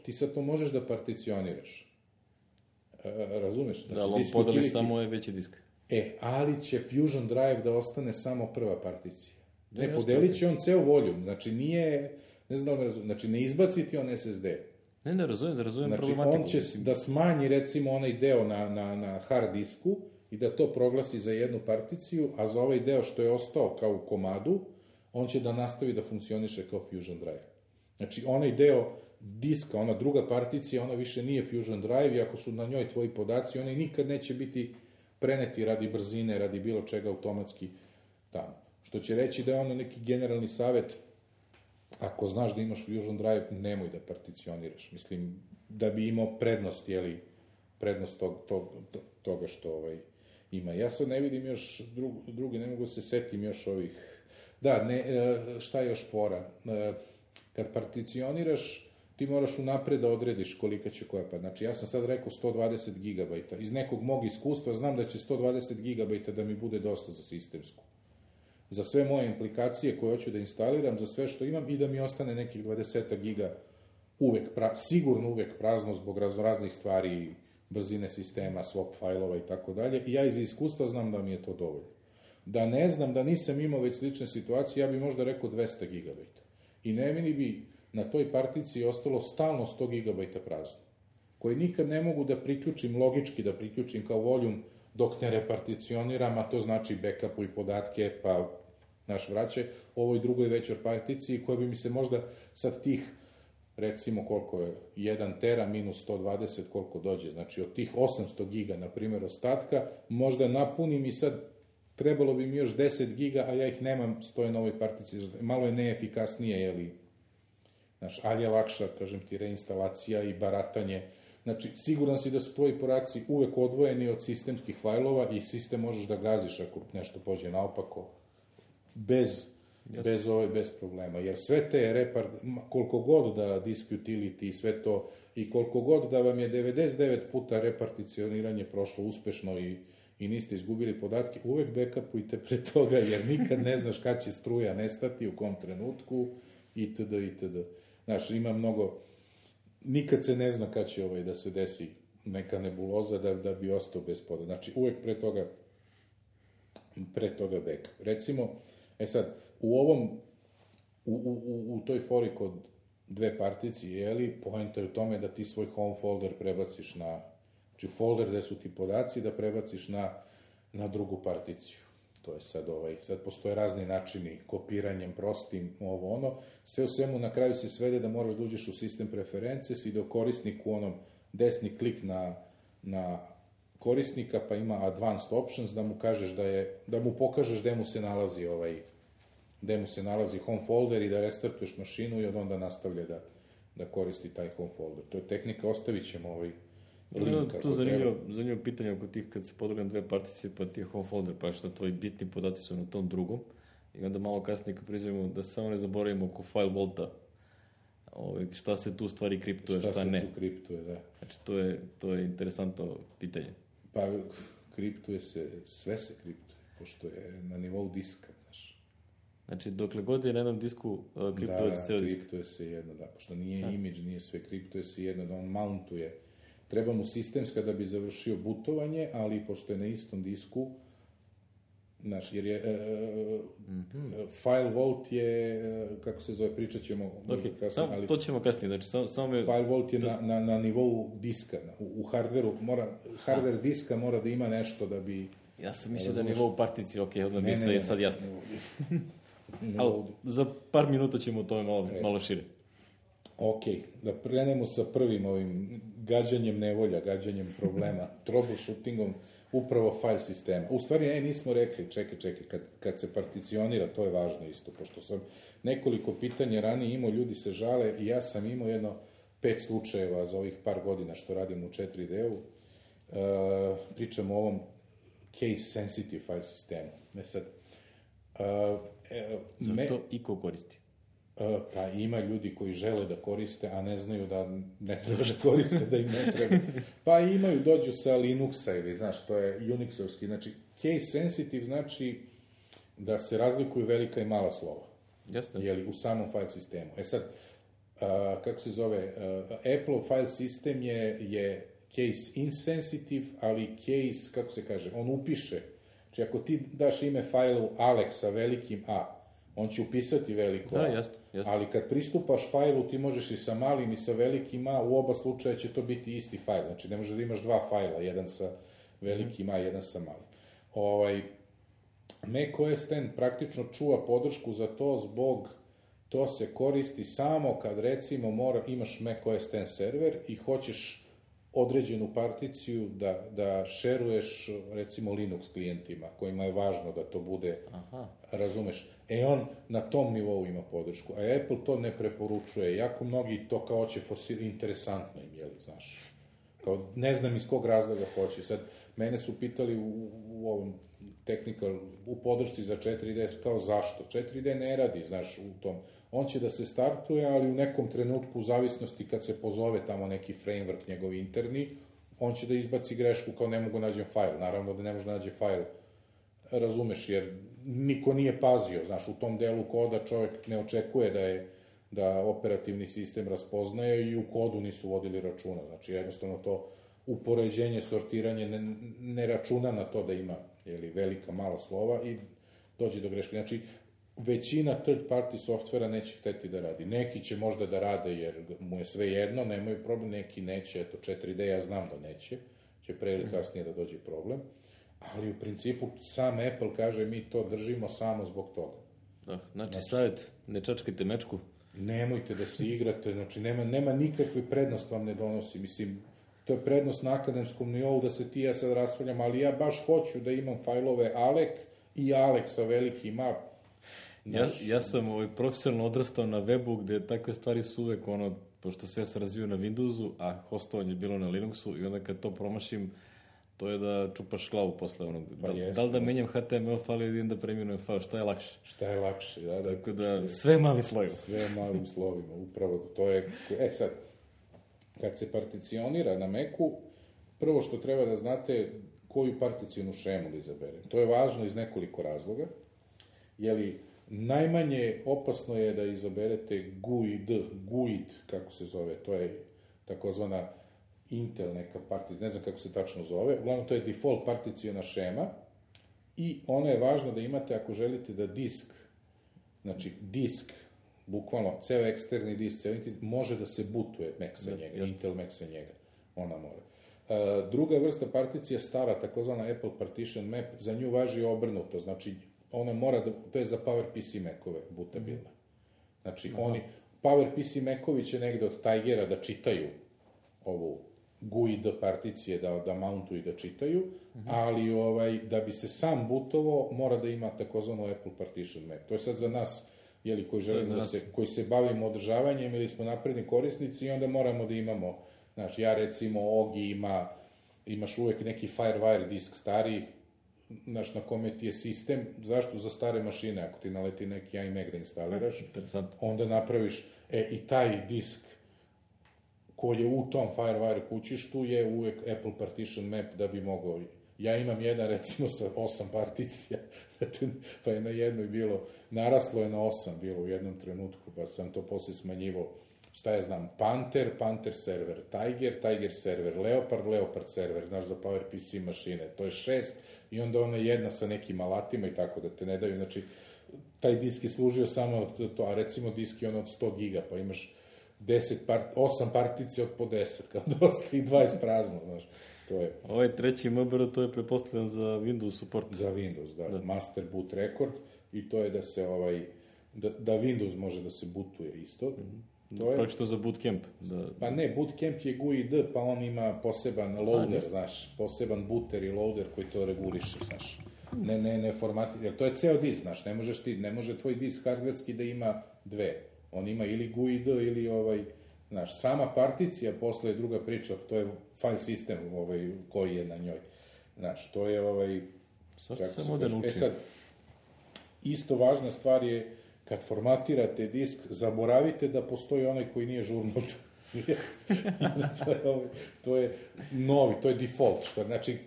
Ti sad to možeš da particioniraš. Razumeš? Da, ali on podeli samo je veći disk. Ali će Fusion Drive da ostane samo prva particija. Ne, podelit će on ceo voljum. Znači, ne znam da me razumem, znači, ne izbaci ti on SSD. Ne, razumijem znači, problematiku. On će da smanji, recimo, onaj deo na hard disku i da to proglasi za jednu particiju, a za ovaj deo što je ostao kao u komadu, on će da nastavi da funkcioniše kao Fusion Drive. Znači, onaj deo diska, ona druga particija, ona više nije Fusion Drive i ako su na njoj tvoji podaci, oni nikad neće biti preneti radi brzine, radi bilo čega automatski tamo. Što će reći da je ono neki generalni savjet, ako znaš da imaš Fusion Drive, nemoj da particioniraš. Mislim, da bi imao prednost, prednost toga što ima. Ja sad ne vidim još drugi, ne mogu se setim još ovih. Da, šta je još fora? Kad particioniraš, ti moraš unapred da odrediš kolika će koja pa. Znači, ja sam sad rekao 120 GB. Iz nekog mog iskustva znam da će 120 GB da mi bude dosta za sistemsku. Za sve moje implikacije koje hoću da instaliram, za sve što imam i da mi ostane nekih 20 giga sigurno uvek prazno zbog raznih stvari, brzine sistema, swap fajlova i tako dalje. I ja iz iskustva znam da mi je to dovoljno. Da ne znam, da nisam imao već slične situacije, ja bih možda rekao 200 GB. I ne meni bi na toj particiji ostalo stalno 100 GB prazno, koje nikad ne mogu da priključim, logički da priključim kao voljum dok ne reparticioniram, a to znači backupuj podatke, pa vraćaj ovoj drugoj većoj particiji, koja bi mi se možda sad tih, recimo koliko je, 1 tera minus 120, koliko dođe, znači od tih 800 giga, na primjer, ostatka, možda napunim i sad trebalo bi mi još 10 giga, a ja ih nemam, stoje na ovoj particiji, malo je neefikasnije, ali je lakša, kažem ti, reinstalacija i baratanje. Znači, siguran si da su tvoji podaci uvek odvojeni od sistemskih fajlova i sistem možeš da gaziš ako nešto pođe naopako, bez problema. Jer sve te koliko god da disk utility i sve to, i koliko god da vam je 99 puta reparticioniranje prošlo uspešno i niste izgubili podatke, uvek backupujte pre toga, jer nikad ne znaš kad će struja nestati, u kom trenutku, itd. Znaš, ima mnogo, nikad se ne zna kad će da se desi neka nebuloza da bi ostao bez poda. Znači, uvek pre toga backup. Recimo, sad, u toj fori kod dve particije, poenta je u tome da ti svoj home folder prebaciš znači folder gde su ti podaci, da prebaciš na drugu particiju. To je sad postoje razni načini, kopiranjem, prostim, sve u svemu na kraju se svede da moraš da uđeš u sistem preferences i da korisniku desni klik na korisnika, pa ima advanced options, da mu kažeš da mu pokažeš gde mu se nalazi home folder i da restartuješ mašinu i od onda nastavlja da koristi taj home folder. To je tehnika, ostavit ćemo link. To je zanimljivo pitanje oko tih, kad se podruga na dve particije, pa ti je home folder, pa što tvoji bitni podaci su na tom drugom, i onda malo kasnije kad priđemo da se samo ne zaboravimo oko file vaulta, šta se tu stvari kriptuje, šta ne. Šta se tu kriptuje, da. Znači, to je interesantno pitanje. Pa, kriptuje se, sve se kriptuje, pošto je na nivou diska, znaš. Znači, dokle god je na jednom disku, kriptuje se ceo disk. Da, kriptuje se jedno, da, pošto nije image, nije sve, kriptuje se jedno, da on mountuje. Treba mu sistemska da bi završio bootovanje, ali pošto je na istom disku, znaš, jer je file vault je, kako se zove, pričat ćemo kasnije, ali... To ćemo kasnije, znači samo je... File vault je na nivou diska, u hardveru, hardver diska mora da ima nešto da bi... Ja sam mislio da je nivou particije, odmah mi sve je sad jasno. Ali za par minuta ćemo o tome malo šire. Ok, da krenemo sa prvim ovim gađanjem nevolja, gađanjem problema, troubleshootingom upravo file sistema. U stvari, nismo rekli, čekaj, kad se particionira, to je važno isto, pošto sam nekoliko pitanja ranije imao, ljudi se žale i ja sam imao 5 slučajeva za ovih par godina što radim u 4D-u. Pričamo o ovom case-sensitive file sistemu. Zar to iko koristi? Pa ima ljudi koji žele da koriste, a ne znaju da ne treba da koriste, da im ne treba. Pa imaju, dođu sa Linuxa ili, znaš, to je Unixovski. Znači, case sensitive znači da se razlikuju velika i mala slova. Jasno. Jeli, u samom file sistemu. Sad, kako se zove, Apple file sistem je case insensitive, ali case, kako se kaže, on upiše. Znači, ako ti daš ime fajlu Alex sa velikim A, on će upisati veliko A, ali kad pristupaš fajlu, ti možeš i sa malim i sa velikim A, u oba slučaja će to biti isti fajl, znači ne može da imaš dva fajla, jedan sa velikim A, jedan sa malim. Mac OS X praktično čuva podršku za to to se koristi samo kad recimo imaš Mac OS X server i hoćeš određenu particiju da šeruješ, recimo, Linux klijentima, kojima je važno da to bude, razumeš, on na tom nivou ima podršku, a Apple to ne preporučuje, jako mnogi to kao će forsirati, interesantno im, jeli, znaš, kao, ne znam iz kog razloga hoće, sad, mene su pitali u ovom technical, u podršci za 4D, kao zašto? 4D ne radi, znaš, u tom. On će da se startuje, ali u nekom trenutku, u zavisnosti kad se pozove tamo neki framework njegov interni, on će da izbaci grešku kao ne mogu nađem fajl. Naravno da ne može da nađe fajl, razumeš, jer niko nije pazio, znaš, u tom delu koda čovjek ne očekuje da operativni sistem raspoznaje i u kodu nisu vodili računa. Znači, jednostavno to upoređenje, sortiranje ne računa na to da ima velika, mala slova i dođe do greške. Znači, većina third party softvera neće hteti da radi. Neki će možda da rade jer mu je sve jedno, nemaju problem, neki neće, eto 4D ja znam da neće, će pre ili kasnije da dođe problem, ali u principu sam Apple kaže mi to držimo samo zbog toga. Da, znači savjet, ne čačkajte mečku. Nemojte da se igrate, znači nema nikakve prednost vam ne donosi, mislim, to je prednost na akademskom nivou da se ti ja sad raspravljam, ali ja baš hoću da imam fajlove Alek i Alek sa velikim A. Ja sam profesionalno odrastao na webu gde takve stvari su uvek pošto sve se razviju na Windowsu, a hostovanje je bilo na Linuxu i onda kad to promašim, to je da čupaš glavu posle onog. Da li da menjam HTML file ili da preminujem file, šta je lakše? Šta je lakše, da. Tako da, sve malim slovima. Sve malim slovima, upravo to je. Sad, kad se particionira na Macu, prvo što treba da znate koju particijonu šemu da izabere. To je važno iz nekoliko razloga, jeli najmanje opasno je da izaberete GUID, kako se zove, to je takozvana Intel neka particija, ne znam kako se tačno zove, uglavnom to je default particijona šema i ona je važna da imate ako želite da disk, bukvalno ceo eksterni disk, može da se bootuje Mac sa njega, Intel Mac sa njega, ona mora. Druga vrsta particija stara, takozvana Apple Partition Map, za nju važi obrnuto, znači ona mora da, to je za PowerPC Macove bootabilna. Znači, PowerPC Macovi će negde od Tigera da čitaju ovu GUID particije, da mountuju i da čitaju, ali da bi se sam bootovo, mora da ima takozvano Apple Partition Map. To je sad za nas, koji želimo koji se bavimo održavanjem ili smo napredni korisnici i onda moramo da imamo, znaš, ja recimo, Ogi imaš uvek neki Firewire disk stariji, znaš, na kome ti je sistem, zašto za stare mašine, ako ti naleti neki iMac da instaliraš, onda napraviš, i taj disk koji je u tom Firewire kućištu je uvek Apple Partition Map da bi mogao, ja imam jedan recimo sa 8 particija, pa je na jednoj bilo, naraslo je na 8 bilo u jednom trenutku, pa sam to posle smanjivo, šta ja znam, Panther server, Tiger server, Leopard server, znaš, za PowerPC mašine, to je 6 i onda ona jedna sa nekim alatima i tako da te ne daju, znači, taj disk je služio samo to, a recimo disk je od 100 giga, pa imaš 8 particija od po 10, kao dosta i 20 prazno, znaš, to je. Ovaj treći MBR, to je prepostavljen za Windows support. Za Windows, da, master boot record i to je da se da Windows može da se bootuje isto. Pročito za bootcamp. Pa ne, bootcamp je GUID, pa on ima poseban loader, znaš, poseban booter i loader koji to reguliše, znaš. Ne formatira, to je ceo disk, znaš, ne može tvoj disk hardverski da ima dve. On ima ili GUID ili znaš, sama particija posle je druga priča, to je file sistem koji je na njoj. Znaš, to je Svašta se moderno uči. Sad, isto važna stvar je kad formatirate disk, zaboravite da postoji onaj koji nije žurnut. To je novi, to je default. Znači,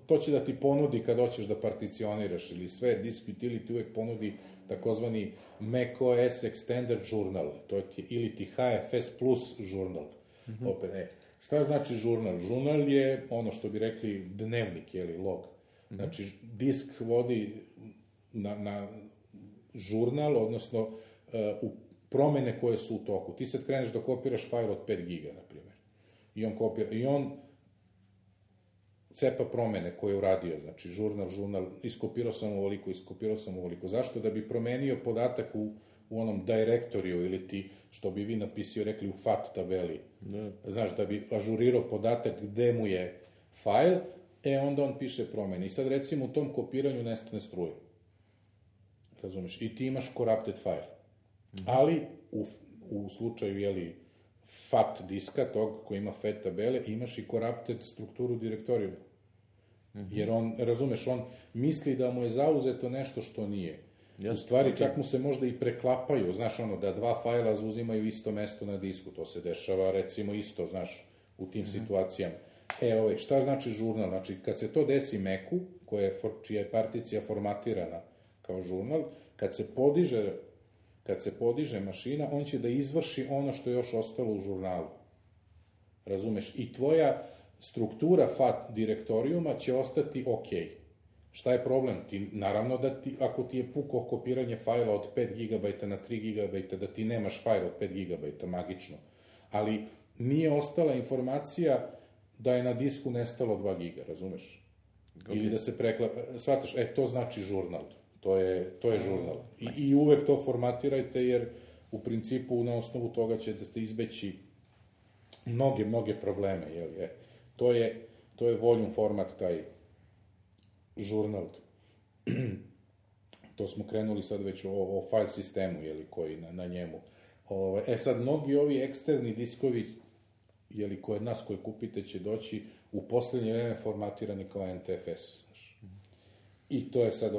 to će da ti ponudi kad hoćeš da particioniraš ili sve, disk utility uvek ponudi takozvani macOS Extended Journal, to ti ili ti HFS Plus Journal. Šta znači žurnal? Žurnal je ono što bi rekli dnevnik, log. Znači, disk vodi na žurnal, odnosno u promene koje su u toku. Ti sad kreneš da kopiraš fajl od 5 giga, na primjer. I on cepa promene koje je uradio, znači žurnal, iskopirao sam ovoliko. Zašto? Da bi promenio podatak u onom direktoriju ili ti, što bi vi napisio, rekli u FAT tabeli. Znaš, da bi ažurirao podatak gde mu je fajl, onda on piše promene. I sad recimo u tom kopiranju nestane struje. Razumeš? I ti imaš corrupted file. Ali u slučaju, jeli, FAT diska, tog koji ima FAT tabele, imaš i corrupted strukturu direktorijuma. Jer on, razumeš, on misli da mu je zauzeto nešto što nije. U stvari, čak mu se možda i preklapaju, znaš, ono, da dva fajla zauzimaju isto mesto na disku. To se dešava, recimo, isto, znaš, u tim situacijama. Šta znači žurnal? Znači, kad se to desi Macu, čija je particija formatirana kao žurnal, kad se podiže mašina, on će da izvrši ono što je još ostalo u žurnalu. Razumeš? I tvoja struktura FAT direktorijuma će ostati okej. Šta je problem? Naravno da ako ti je puko kopiranje fajla od 5 GB na 3 GB, da ti nemaš fajl od 5 GB, magično. Ali nije ostala informacija da je na disku nestalo 2 giga, razumeš? Ili da se shvataš, to znači žurnal. To je žurnal. I uvek to formatirajte, jer u principu na osnovu toga ćete izbeći mnoge probleme. To je volume format, taj žurnal. To smo krenuli sad već o file sistemu, koji na njemu. Sad, mnogi ovi eksterni diskovi, kod nas koji kupite, će doći u poslednje vreme formatirani kao NTFS. I to je sad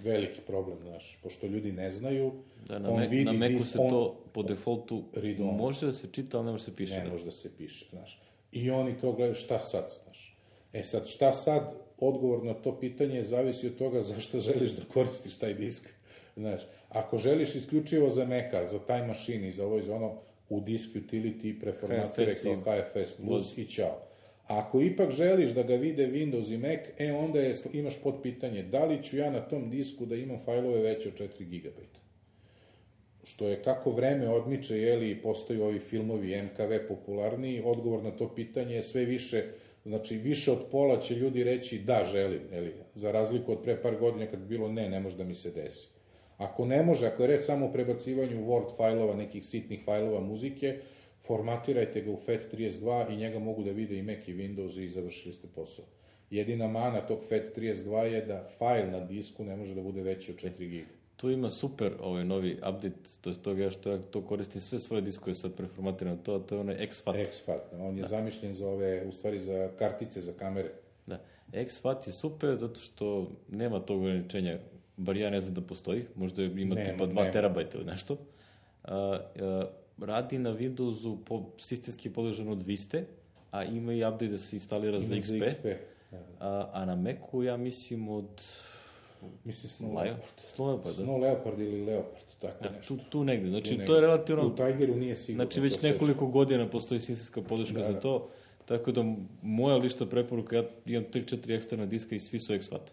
veliki problem, pošto ljudi ne znaju. Na Macu se to po defaultu može da se čita, ali ne može da se piše. Ne može da se piše, znaš. I oni kao gledaju šta sad, znaš. Sad, šta sad, odgovor na to pitanje zavisi od toga zašto želiš da koristiš taj disk. Znaš, ako želiš isključivo za Maca, za Time Machine i za ovo i za ono, u disk utility preformatire kao HFS plus i ćao. A ako ipak želiš da ga vide Windows i Mac, onda imaš pod pitanje da li ću ja na tom disku da imam fajlove veće od 4 GB. Što je kako vreme odmiče, postaju ovi filmovi MKV popularniji, odgovor na to pitanje je sve više, znači više od pola će ljudi reći da, želim, za razliku od pre par godina kad bi bilo ne može da mi se desi. Ako ne može, ako je reč samo o prebacivanju Word fajlova, nekih sitnih fajlova muzike, formatirajte ga u FAT32 i njega mogu da vide i Mac i Windows i završili ste posao. Jedina mana tog FAT32 je da fajl na disku ne može da bude veći od 4 GB. Tu ima super novi update, to je toga što ja to koristim sve svoje diskove sad preformatirano, to je onaj XFAT. XFAT, on je zamišljen za ove, u stvari za kartice, za kamere. Da, XFAT je super zato što nema tog ograničenja, bar ja ne znam da postoji, možda ima tipa 2 terabajta ili nešto. Radi na Windowsu sistemski podložen od Viste, a ima i update da se instalira za XP. A na Macu ja mislim od... Mislim Snow Leopard, Leopard ili Leopard, tako nešto. Tu negde, znači to je relativno... U Tigeru nije sigurno. Znači već nekoliko godina postoji sistemska podrška za to, tako da moja lišta preporuka, ja imam 3-4 eksterna diska i svi su XFAT.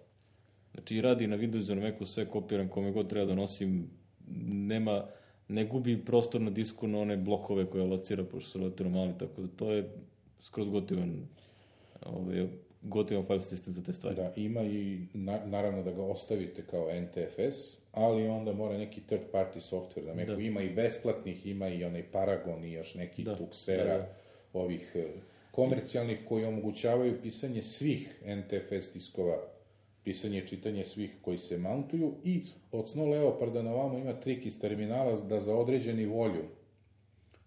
Znači radi na Windowsu, na Macu, sve kopiram, kome god treba da nosim, ne gubi prostor na disku na one blokove koje locira, pošto su relativno mali, tako da to je skroz gotivan file sistem za te stvari. Da, ima i naravno da ga ostavite kao NTFS, ali onda mora neki third party software da Macu ima i besplatnih, ima i onaj Paragon i još neki Tuxera, ovih komercijalnih koji omogućavaju pisanje svih NTFS diskova, pisanje i čitanje svih koji se mountuju i od Snow Leoparda na ovamo ima trik iz terminala da za određeni volume,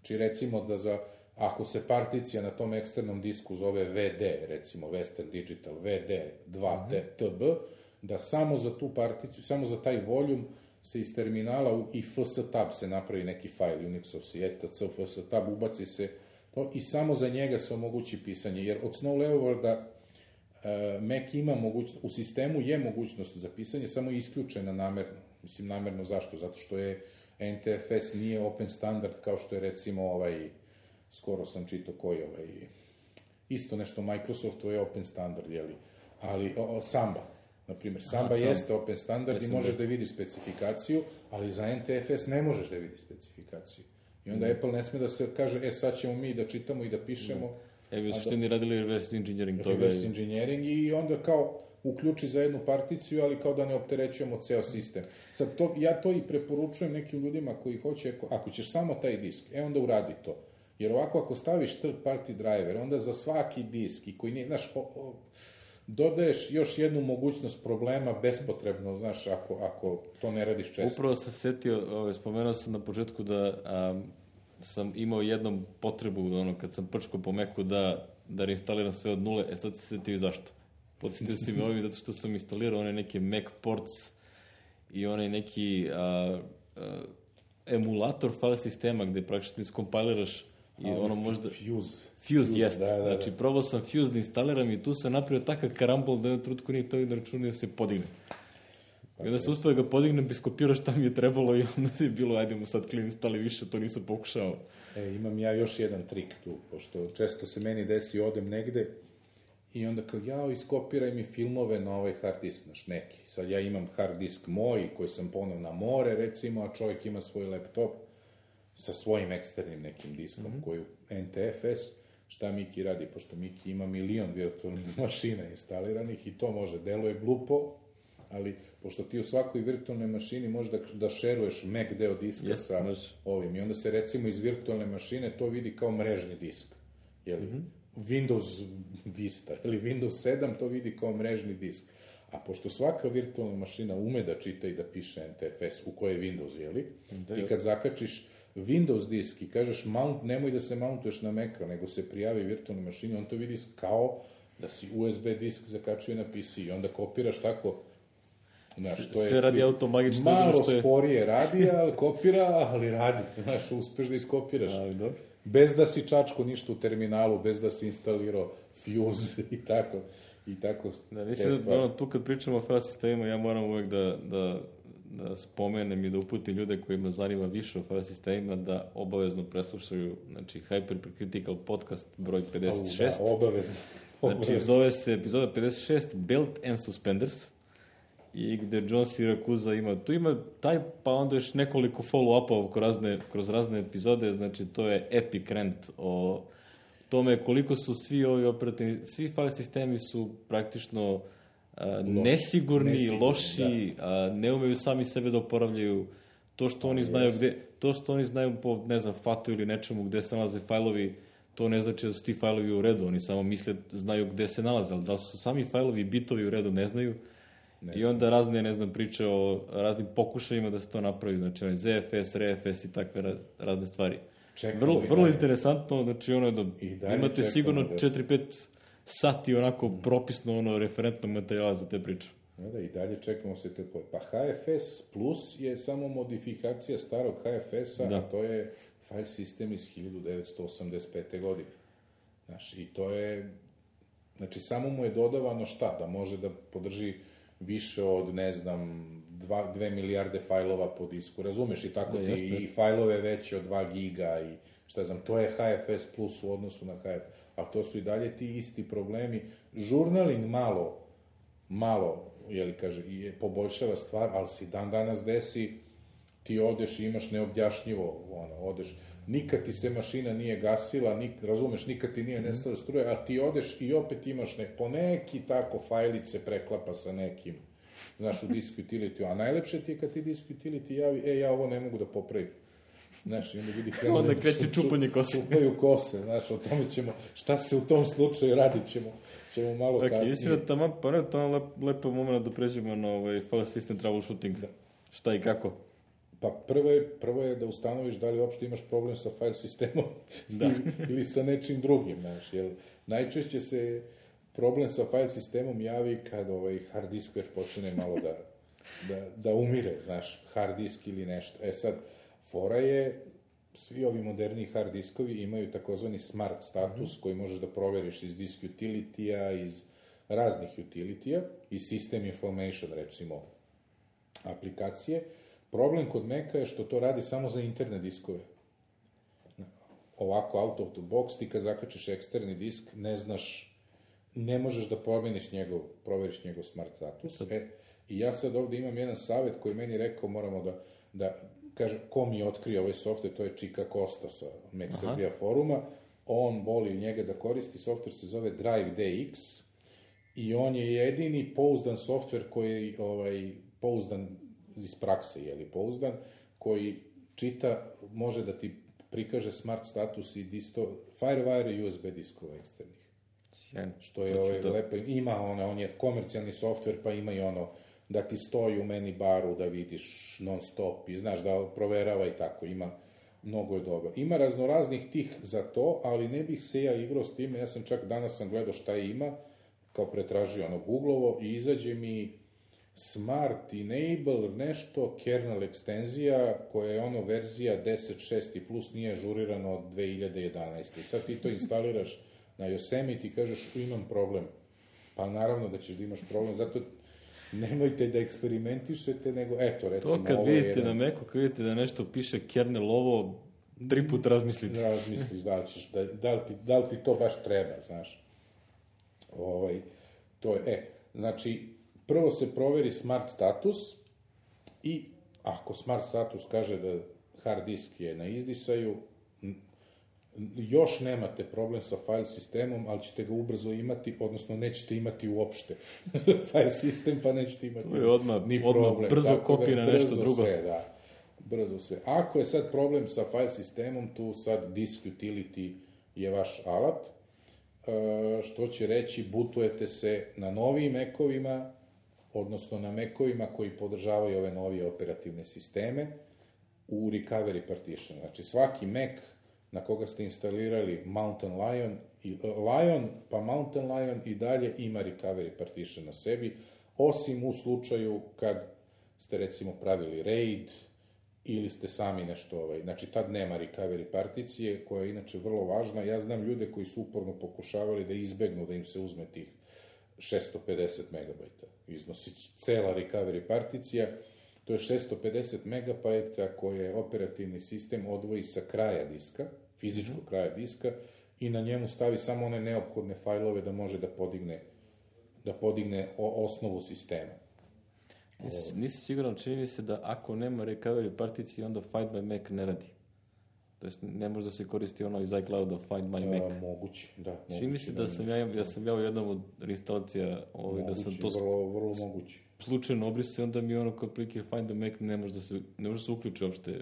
či recimo da ako se particija na tom eksternom disku zove VD, recimo Western Digital VD2TB, da samo za tu particiju, samo za taj volume se iz terminala i fstab se napravi neki fajl, Unixov etc, fstab, ubaci se to i samo za njega se omogući pisanje, jer od Snow Leoparda Mac ima mogućnost, u sistemu je mogućnost za pisanje, samo je isključena namerno. Mislim, namerno zašto? Zato što je NTFS nije open standard kao što je recimo skoro sam čitao isto nešto Microsoftu je open standard, ali Samba, na primjer, Samba jeste open standard i možeš da vidiš specifikaciju, ali za NTFS ne možeš da vidiš specifikaciju. I onda Apple ne sme da se kaže, sad ćemo mi da čitamo i da pišemo. U suštini radili reverse engineering toga. Reverse engineering i onda kao uključi za jednu particiju, ali kao da ne opterećujemo ceo sistem. Sad, ja to i preporučujem nekim ljudima koji hoće, ako ćeš samo taj disk, onda uradi to. Jer ovako, ako staviš third party driver, onda za svaki disk, i koji nije, znaš, dodaješ još jednu mogućnost problema bespotrebno, znaš, ako to ne radiš često. Upravo sam setio, spomenuo sam na početku da sam imao jednom potrebu, kad sam prčkao po Macu da reinstaliram sve od nule, sad se setio i zašto. Podsjetio si me ovim zato što sam instalirao one neke Mac ports i onaj neki emulator file sistema gde praktično iskompiliraš i ono možda... Fuse, jest. Da. Znači, probao sam Fuse da instaliram i tu sam napravio takav karambol da jednom trutku nije to na računu da se podigne. I onda se uspio da ga podignem, iskopirao šta mi je trebalo i onda je bilo, ajdemo sad clean instali više, to nisam pokušao. Imam ja još jedan trik tu, pošto često se meni desi, odem negde i onda kao, iskopiraj mi filmove na ovaj hard disk, znaš, neki. Sad ja imam hard disk moj, koji sam poneo na more, recimo, a čovjek ima svoj laptop sa svojim eksternim nekim diskom, koju NTFS, šta Miki radi, pošto Miki ima 1.000.000 virtualnih mašina instaliranih i to može, deluje glupo, ali pošto ti u svakoj virtualnoj mašini možeš da šeruješ Mac deo diska sa ovim i onda se recimo iz virtualne mašine to vidi kao mrežni disk, jeli? Windows Vista ili Windows 7 to vidi kao mrežni disk, a pošto svaka virtualna mašina ume da čita i da piše NTFS u kojoj je Windows, jeli? Ti kad zakačiš Windows disk i kažeš mount, nemoj da se mountuješ na Maca, nego se prijavi virtualnoj mašini, on to vidi kao da si USB disk zakačio na PC i onda kopiraš tako. Znaš, to sve radi automagično. Malo sporije radi, ali kopira, ali radi. Znaš, uspeš da iskopiraš. Ali dobro. Bez da si čačko ništa u terminalu, bez da si instalirao Fuse i tako. Da, mislim da tu kad pričamo o file sistemima, ja moram uvek da spomenem i da uputim ljude kojima zanima više o file sistemima da obavezno preslušaju, znači, Hypercritical podcast broj 56. Da, obavezno. Znači, zove se epizoda 56 Belt and Suspenders i gde John Siracusa tu ima taj, pa onda još nekoliko follow-upova kroz razne epizode, znači to je epic rant o tome koliko su svi ovi svi file sistemi su praktično nesigurni, loši, ne umeju sami sebe da oporavljaju, to što oni znaju po, ne znam, FAT-u ili nečemu gde se nalaze fajlovi, to ne znači da su ti fajlovi u redu, oni samo misle, znaju gde se nalaze, ali da su sami fajlovi, bitovi u redu, ne znaju. I onda razne, priče o raznim pokušajima da se to napravi, znači ZFS, RFS i takve razne stvari. Vrlo interesantno, znači ono je da imate sigurno 4-5 sati onako propisno referentnog materijala za te priče. Da, i dalje čekamo se te Pa HFS Plus je samo modifikacija starog HFS-a, a to je file sistem iz 1985. godine. Znaš, i to je, znači samo mu je dodavano šta? Da može da podrži više od, ne znam, 2 milijarde fajlova po disku, razumeš, i tako i fajlove veće od 2 giga i šta znam, to je HFS Plus u odnosu na HFS, ali to su i dalje ti isti problemi. Žurnaling malo, poboljšava stvar, ali si dan danas desi, ti odeš i imaš neobjašnjivo, odeš, nikad ti se mašina nije gasila, razumeš, nikad ti nije nestala struja, a ti odeš i opet imaš po neki tako fajlice preklapa sa nekim, znaš, u disk utility, a najlepše ti je kad ti disk utility javi, ja ovo ne mogu da popravim. Znaš, i onda vidi onda kreće čupanje kose. Čupaju kose, znaš, o tome ćemo, šta se u tom slučaju radit ćemo malo kasnije. Mislim da to je lepo moment da pređemo na file system troubleshooting. Šta i kako? Pa prvo je da ustanoviš da li uopšte imaš problem sa file sistemom ili sa nečim drugim, znaš, jer najčešće se problem sa file sistemom javi kad hard disk već počne malo da umire, znaš, hard disk ili nešto. Sad, fora je, svi ovi moderni hard diskovi imaju takozvani smart status koji možeš da proveriš iz disk utility-a, iz raznih utility-a, iz system information, recimo, aplikacije. Problem kod Maca je što to radi samo za interne diskove. Ovako, out of the box, ti kad zakačiš eksterni disk, ne možeš da proveriš njegov smart status. I ja sad ovde imam jedan savjet koji meni rekao, moramo da kažem, ko mi je otkrio ovaj software, to je Čika Kosta sa Mac Srbija foruma, on voli njega da koristi, software se zove Drive DX i on je jedini pouzdan softver koji, pouzdan iz prakse, pouzdan, koji čita, može da ti prikaže smart status i Firewire i USB diskova eksternih. Sjajno. Što je lepo. Ima on je komercijalni softver, pa ima i da ti stoji u meni baru, da vidiš non stop i znaš da proverava i tako, mnogo je dobar. Ima raznoraznih tih za to, ali ne bih se ja igrao s time, danas sam gledao šta ima, kao pretražio Googlovo i izađe mi Smart Enable nešto, kernel ekstenzija, koja je verzija 10.6 i plus nije ažurirano od 2011. I sad ti to instaliraš na Yosemite i kažeš, imam problem. Pa naravno da ćeš da imaš problem, zato nemojte da eksperimentišete, nego recimo... To kad vidite na Macu, kad vidite da nešto piše kernel ovo, 3 put razmislite. Razmisliš da li ti to baš treba, znaš. To je, znači, prvo se proveri smart status i ako smart status kaže da hard disk je na izdisaju, još nemate problem sa file sistemom, ali ćete ga ubrzo imati, odnosno nećete imati uopšte file sistem, pa nećete imati ni problem. Brzo kopije na nešto drugo. Brzo sve. Ako je sad problem sa file sistemom, tu sad disk utility je vaš alat, što će reći, bootujete se na novijim Mac-ovima, odnosno na Mac-ovima koji podržavaju ove novije operativne sisteme, u recovery partition. Znači, svaki Mac na koga ste instalirali Mountain Lion, pa Mountain Lion i dalje ima recovery partition na sebi, osim u slučaju kad ste, recimo, pravili RAID ili ste sami nešto, znači tad nema recovery particije, koja je inače vrlo važna. Ja znam ljude koji su uporno pokušavali da izbegnu da im se uzme tih 650 megabajta. Iznosi cela recovery particija, to je 650 megabajta koje operativni sistem odvoji sa kraja diska, fizičkog kraja diska, i na njemu stavi samo one neophodne fajlove da može da podigne osnovu sistema. Nisi siguran, čini mi se da ako nema recovery particije, onda Find My Mac ne radi. To jest, ne može da se koristi iz iClouda Find My Mac. Moguće, da. Čini mi se da sam ja u jednom od reinstalacija da sam to vrlo moguće. Slučajno obrisao, onda mi kod prilike Find the Mac ne može da se uključi uopšte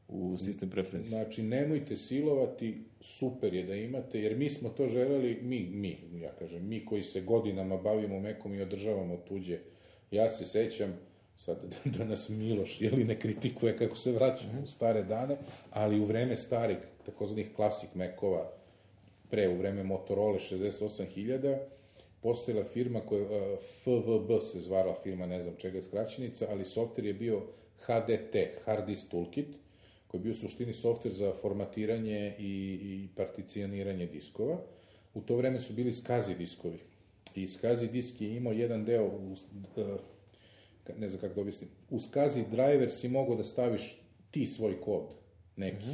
u sistem preferences. Znači, nemojte silovati, super je da imate, jer mi smo to želeli, mi koji se godinama bavimo Macom i održavamo tuđe. Ja se sećam, sad da nas Miloš ne kritikuje kako se vraćamo u stare dane, ali u vreme starih, takozvanih klasik Macova, u vreme Motorola 68.000, postojala firma koja, FVB se zvala firma, ne znam čega je skraćenica, ali softver je bio HDT, Hard Disk Toolkit, koji je bio u suštini softver za formatiranje i particioniranje diskova. U to vreme su bili SCSI diskovi. I SCSI disk je imao jedan deo, ne znam kako da objasnim, u SCSI driver si mogao da staviš ti svoj kod, neki.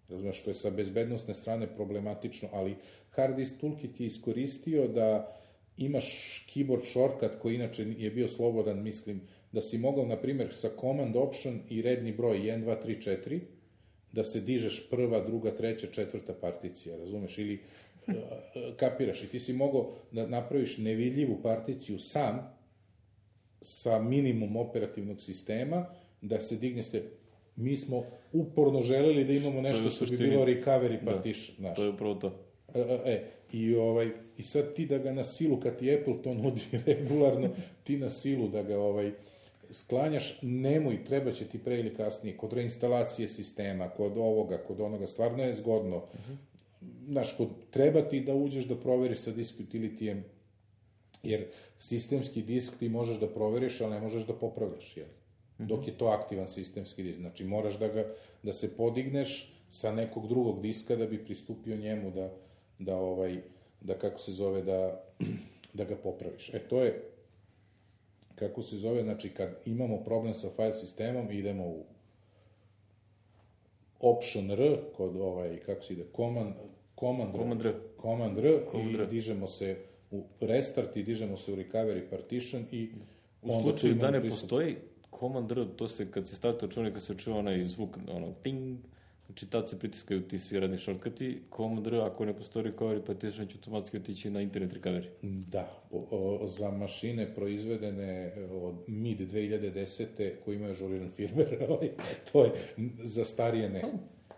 Razumiješ, što je sa bezbednostne strane problematično, ali Hard Disk Toolkit je iskoristio da imaš keyboard shortcut koji inače je bio slobodan, mislim, da si mogao, na primjer, sa command option i redni broj 1, 2, 3, 4, da se dižeš prva, druga, treća, četvrta particija, razumeš, ili kapiraš, i ti si mogao da napraviš nevidljivu particiju sam, sa minimum operativnog sistema, da se digne se. Mi smo uporno želeli da imamo nešto što bi bilo recovery partition. Da, to je upravo to. I sad ti da ga na silu, kad ti Apple to nudi regularno, ti na silu da ga sklanjaš, nemoj, treba će ti pre ili kasnije, kod reinstalacije sistema, kod ovoga, kod onoga, stvarno je zgodno. Znaš, treba ti da uđeš da proveriš sa disk utility-em, jer sistemski disk ti možeš da proveriš, ali ne možeš da popravljaš, dok je to aktivan sistemski disk. Znači, moraš da se podigneš sa nekog drugog diska da bi pristupio njemu da kako se zove, da ga popraviš. To je, kako se zove, znači, kad imamo problem sa file sistemom, idemo u Option R, kod kako se ide, Command R, i dižemo se u Restart i dižemo se u Recovery Partition i u slučaju da ne postoji Command R, to se kad se stavite računaj, kad se čuje onaj zvuk, ping, Znači, tad se pritiskaju ti svi radni shortcuti, Command R, ako ne postoji recovery partition, će automatski otići na internet recovery. Da, za mašine proizvedene od mid 2010. koji imaju ažuriran firmware, to je za starije ne.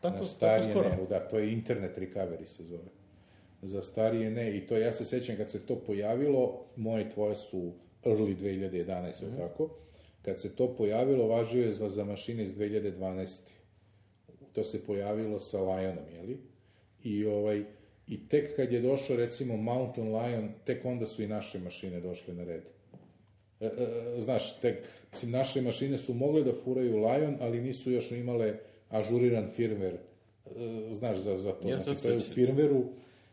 Tako starije skoro. Ne, da, to je internet recovery se zove. Za starije ne, i to ja se sećam kad se to pojavilo, moje i tvoje su early 2011, tako? Kad se to pojavilo, važio je za mašine iz 2012. To se pojavilo sa Lionom, jeli? I tek kad je došao, recimo, Mountain Lion, tek onda su i naše mašine došle na red. Znaš, mislim, naše mašine su mogle da furaju Lion, ali nisu još imale ažuriran firmware, znaš, za to. Znači, to je u firmwareu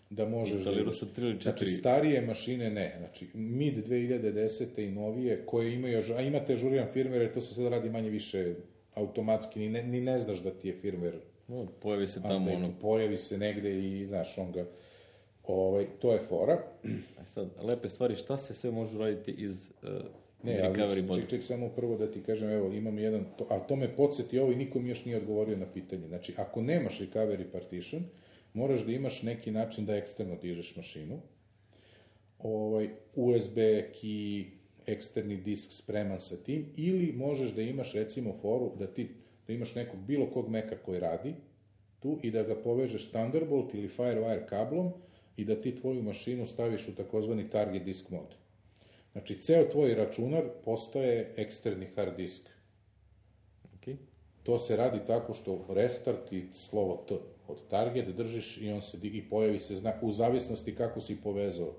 da možeš... Instalirao sa 3 ili 4... Znači, starije mašine ne. Znači, mid 2010. i novije, koje imaju, a imate ažuriran firmware, to se sad radi manje više automatski, ni ne znaš da ti je firmware... Pojavi se tamo ono... Pojavi se negde i, znaš, on ga... to je fora. A sad, lepe stvari, šta se sve može raditi iz recovery moda? Ček, samo prvo da ti kažem, evo, imam jedan... Ali to me podsjeti ovo i nikom još nije odgovorio na pitanje. Znači, ako nemaš recovery partition, moraš da imaš neki način da eksterno dižeš mašinu. USB key, eksterni disk spreman sa tim, ili možeš da imaš, recimo, foru da imaš nekog bilo kog Maca koji radi tu i da ga povežeš Thunderbolt ili Firewire kablom i da ti tvoju mašinu staviš u takozvani target disk mod. Znači, ceo tvoj računar postaje eksterni hard disk. Okay. To se radi tako što restart i slovo T od target držiš i on se i pojavi se znak, u zavisnosti kako si povezao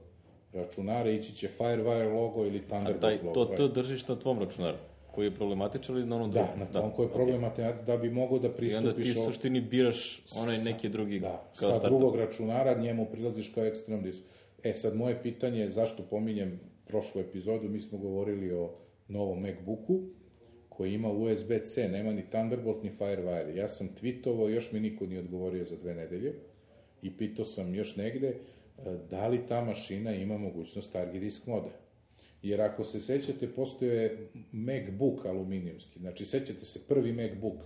računare, ići će Firewire logo ili Thunderbolt logo. To držiš na tvom računaru, koji je problematičan ili na onom drugom? Da, na tom koji je problematičan, da bi mogao da pristupiš... I onda ti suštini biraš onaj neki drugi kao startup. Sa drugog računara njemu prilaziš kao eksternom disku. Sad, moje pitanje je zašto pominjem prošlu epizodu, mi smo govorili o novom MacBooku, koji ima USB-C, nema ni Thunderbolt, ni Firewire. Ja sam tweetovao, još mi niko nije odgovorio za 2 nedelje, i pitao sam još negde, da li ta mašina ima mogućnost target disk moda. Jer ako se sećate, postoje MacBook aluminijumski, znači sećate se prvi MacBook,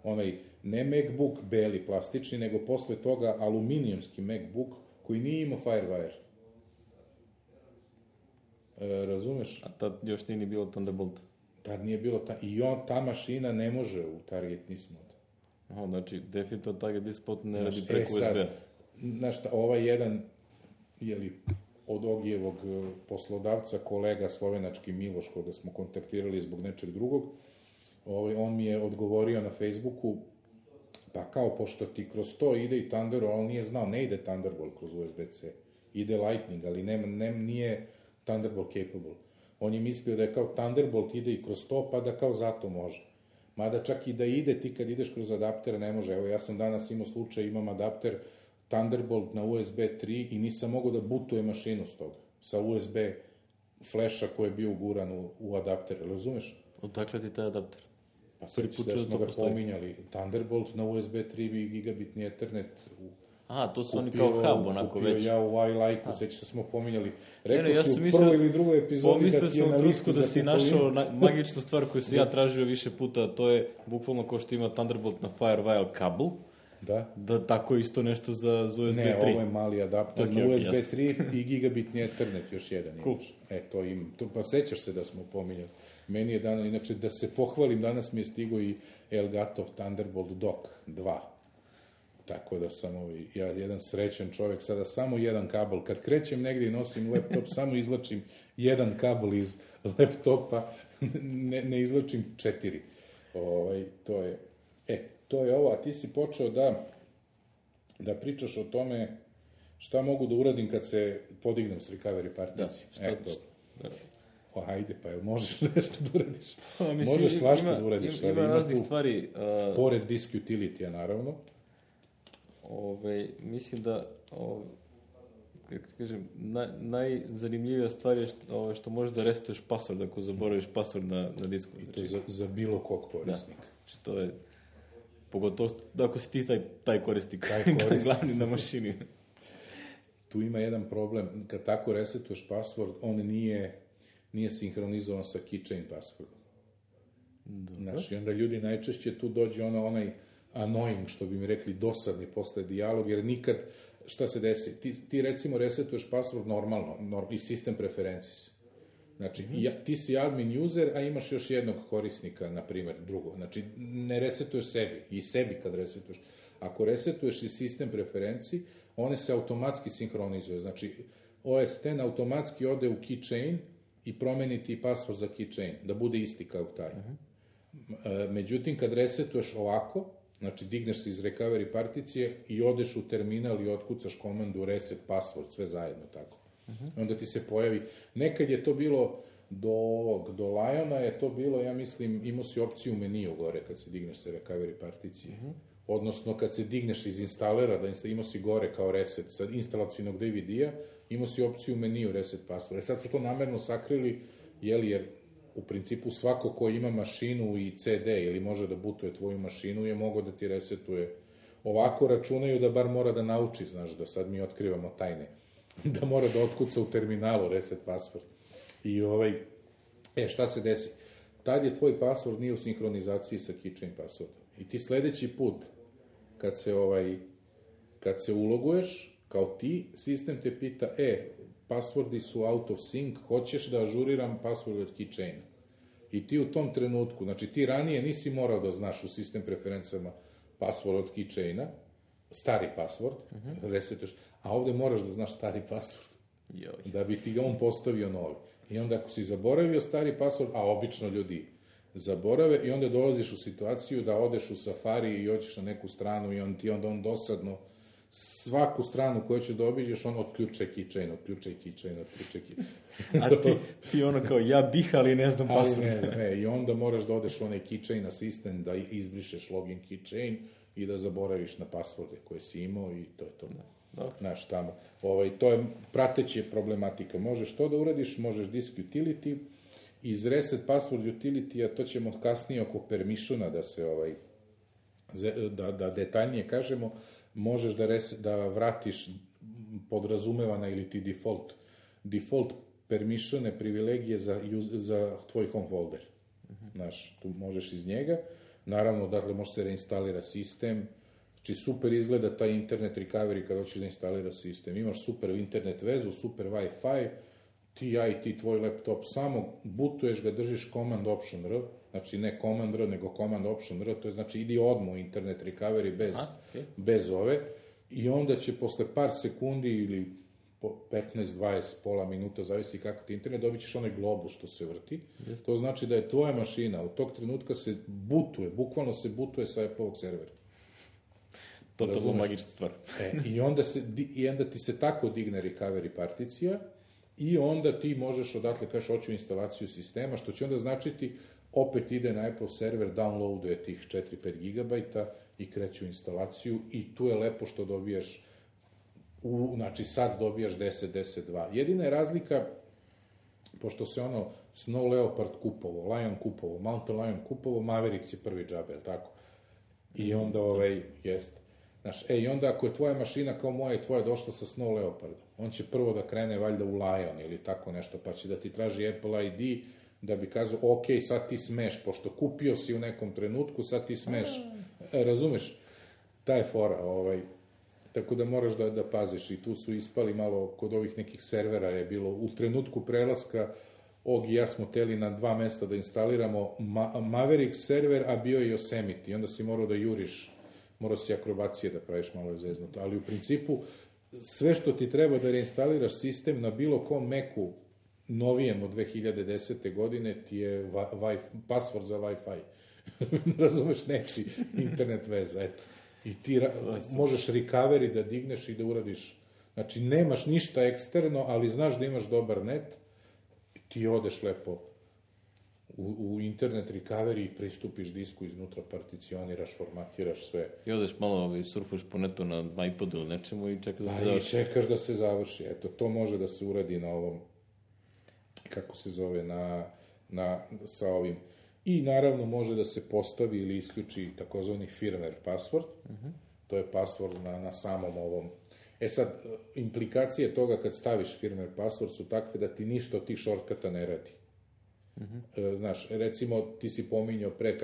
onaj, ne MacBook beli, plastični, nego posle toga aluminijumski MacBook koji nije imao Firewire. Razumeš? A tad još nije ni bilo Thunderbolt. Tad nije bilo, i ta mašina ne može u target disk mod. Aha, znači, definitivno target disk mod ne radi preko USB-a. Znaš, ovaj jedan, od Ogijevog poslodavca, kolega slovenački Miloš, koga smo kontaktirali zbog nečeg drugog, on mi je odgovorio na Facebooku, pa kao, pošto ti kroz to ide i Thunderbolt, on nije znao, ne ide Thunderbolt kroz USB-C, ide Lightning, ali nije Thunderbolt capable. On je mislio da je kao Thunderbolt ide i kroz to, pa da kao zato može. Mada čak i da ide, ti kad ideš kroz adapter ne može. Evo, ja sam danas imao slučaj, imam adapter Thunderbolt na USB 3 i nisam mogao da butujem mašinu s toga. Sa USB flasha koji je bio uguran u adapter, razumeš? Odakle ti taj adapter? Pa sveći da smo ga pominjali. Thunderbolt na USB 3 gigabitni Ethernet Aha, to su oni kao hub, onako već. Kupio ja u iLike-u, sveći da smo pominjali. Rekao si u prvoj ili drugoj epizodi da ti je na listi za da si našao magičnu stvar koju sam ja tražio više puta, to je bukvalno kao što ima Thunderbolt na Firewire kabel. Da tako isto nešto za USB 3. Ne, ovo je mali adapter na USB 3 i gigabitni Ethernet, još jedan imaš. To imam. Pa sećaš se da smo pominjali. Meni je danas, inače, da se pohvalim, danas mi je stigo i Elgato Thunderbolt Dock 2. Tako da sam ja jedan srećan čovjek, sada samo jedan kabel. Kad krećem negdje i nosim laptop, samo izlačim jedan kabel iz laptopa, ne izlačim 4. To je ovo, a ti si počeo da pričaš o tome šta mogu da uradim kad se podignem s recovery partici. Ajde, pa jel možeš nešto da uradiš? Možeš svašta da uradiš. Ima raznih stvari. Pored disk utility-a, naravno. Mislim da, kako ti kažem, najzanimljivija stvar je što možeš da resetuješ password ako zaboraviš password na disku. I to za bilo kog korisnika. Znači, to je, pogotovo ako si ti taj korisnik, glavni na mašini. Tu ima jedan problem, kad tako resetuješ password, on nije sinhronizovan sa keychain passwordom. Znači, onda ljudi najčešće tu dođe onaj annoying, što bi mi rekli, dosadni posle dijalog, jer nikad, šta se desi, ti recimo resetuješ password normalno, i sistem preferencis. Znači, ti si admin user, a imaš još jednog korisnika, na primjer, drugo. Znači, ne resetuješ sebi, i sebi kad resetuješ. Ako resetuješ i sistem preferenciji, one se automatski sinhronizuje. Znači, OS X automatski ode u keychain i promeni ti password za keychain, da bude isti kao taj. Međutim, kad resetuješ ovako, znači, digneš se iz recovery particije i odeš u terminal i otkucaš komandu reset password, sve zajedno tako. Onda ti se pojavi, nekad je to bilo do Liona je to bilo, ja mislim, imao si opciju meniju gore kad se digneš sa recovery particije. Odnosno, kad se digneš iz instalera, imao si gore kao reset sa instalacijnog DVD-a, imao si opciju meniju reset password. Sad su to namerno sakrili, jer u principu svako ko ima mašinu i CD ili može da bootuje tvoju mašinu je mogao da ti resetuje. Ovako računaju da bar mora da nauči, znaš, da sad mi otkrivamo tajne. Da mora da otkuca u terminalu reset password. I šta se desi? Tad je tvoj password nije u sinhronizaciji sa keychain passwordom. I ti sledeći put, kad se uloguješ, kao ti, sistem te pita, passwordi su out of sync, hoćeš da ažuriram password od keychaina. I ti u tom trenutku, znači ti ranije nisi morao da znaš u sistem preferencama password od keychaina, stari password, resetuješ, a ovde moraš da znaš stari password, da bi ti ga on postavio novi. I onda ako si zaboravio stari password, a obično ljudi zaborave, i onda dolaziš u situaciju da odeš u Safari i hoćeš na neku stranu i onda on dosadno svaku stranu koju ćeš da obiđeš, on otključaj keychain. A ti ono kao, ja bih, ali ne znam password. I onda moraš da odeš u onaj keychain assistant, da izbrišeš login keychain i da zaboraviš na passworde koje si imao i to je to. Znaš, tamo. To je prateća problematika. Možeš to da uradiš, možeš disk utility, iz reset password utility, a to ćemo kasnije oko permissiona da se da detaljnije kažemo, možeš da vratiš podrazumevana ili ti default permissione, privilegije za tvoj home folder. Znaš, tu možeš iz njega. Naravno, dakle, može se reinstalira sistem. Znači, super izgleda taj internet recovery kada hoćeš da instaliraš sistem. Imaš super internet vezu, super Wi-Fi, ti tvoj laptop, samo bootuješ ga, držiš command option R, znači ne command R, nego command option R, to je znači idi odmah u internet recovery bez ove, i onda će posle par sekundi ili 15, 20, pola minuta, zavisi kako ti internet, dobit ćeš onaj globus što se vrti. To znači da je tvoja mašina u tog trenutka se bootuje, bukvalno se bootuje sa Apple-ovog servera. Totalno magična stvar. I onda ti se tako digne recovery particija i onda ti možeš odatle kažeš hoću instalaciju sistema, što će onda značiti opet ide na Apple server, downloaduje tih 4-5 gigabajta i kreću instalaciju i tu je lepo što dobijaš, znači sad dobijaš 10.10.2. Jedina je razlika, pošto se Snow Leopard kupovo, Lion kupovo, Mountain Lion kupovo, Mavericks je prvi džabe, je li tako? I onda jeste. Znaš, i onda ako je tvoja mašina kao moja i tvoja došla sa Snow Leopardom, on će prvo da krene valjda u Lion ili tako nešto, pa će da ti traži Apple ID, da bi kazao, ok, sad ti smeš, pošto kupio si u nekom trenutku, sad ti smeš. Razumeš? Ta je fora, tako da moraš da paziš i tu su ispali malo, kod ovih nekih servera je bilo, u trenutku prelaska, Og i ja smo teli na 2 mesta da instaliramo Maverick server, a bio je i Yosemite, onda si morao da juriš, morao si akrobacije da praviš, malo je zeznuto, ali u principu sve što ti treba da reinstaliraš sistem na bilo kom Macu novijem od 2010. godine ti je password za Wi-Fi. Razumeš, neči internet veza, eto. I ti možeš recovery da digneš i da uradiš. Znači, nemaš ništa eksterno, ali znaš da imaš dobar net, ti odeš lepo u internet recovery i pristupiš disku iznutra, particioniraš, formatiraš sve. I odeš malo, surfuš po netu na iPodu ili nečemu i čekaš da se završi. I čekaš da se završi. Eto, to može da se uradi na ovom, kako se zove, sa ovim. I naravno može da se postavi ili isključi takozvani firmware password. To je password na samom ovom. Sad, implikacije toga kad staviš firmware password su takve da ti ništa od tih shortcuta ne radi. Znaš, recimo, ti si pominjao pre,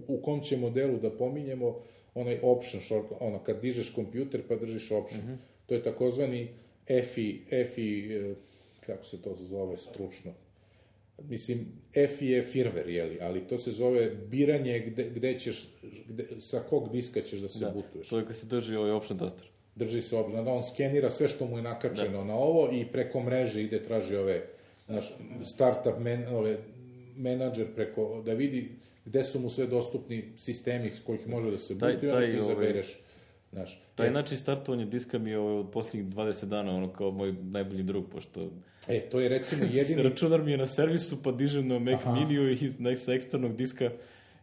u kom će modelu da pominjemo onaj option short, ono, kad dižeš kompjuter pa držiš option. To je takozvani EFI, kako se to zove stručno? Mislim, EFI je firmware, jeli, ali to se zove biranje gde ćeš, sa kog diska ćeš da se butuješ. To je kad se drži ovaj option taster. Drži se option, da on skenira sve što mu je nakačeno na ovo i preko mreže ide, traži ove, naš, startup menadžer preko, da vidi gde su mu sve dostupni sistemi s kojih može da se butuje, onda ti izabereš. Taj način startovanja diska mi je od posljednjih 20 dana, ono kao moj najbolji drug, pošto... To je recimo jedini... Računar mi je na servisu, pa dižem na Mac Miniju i sa eksternog diska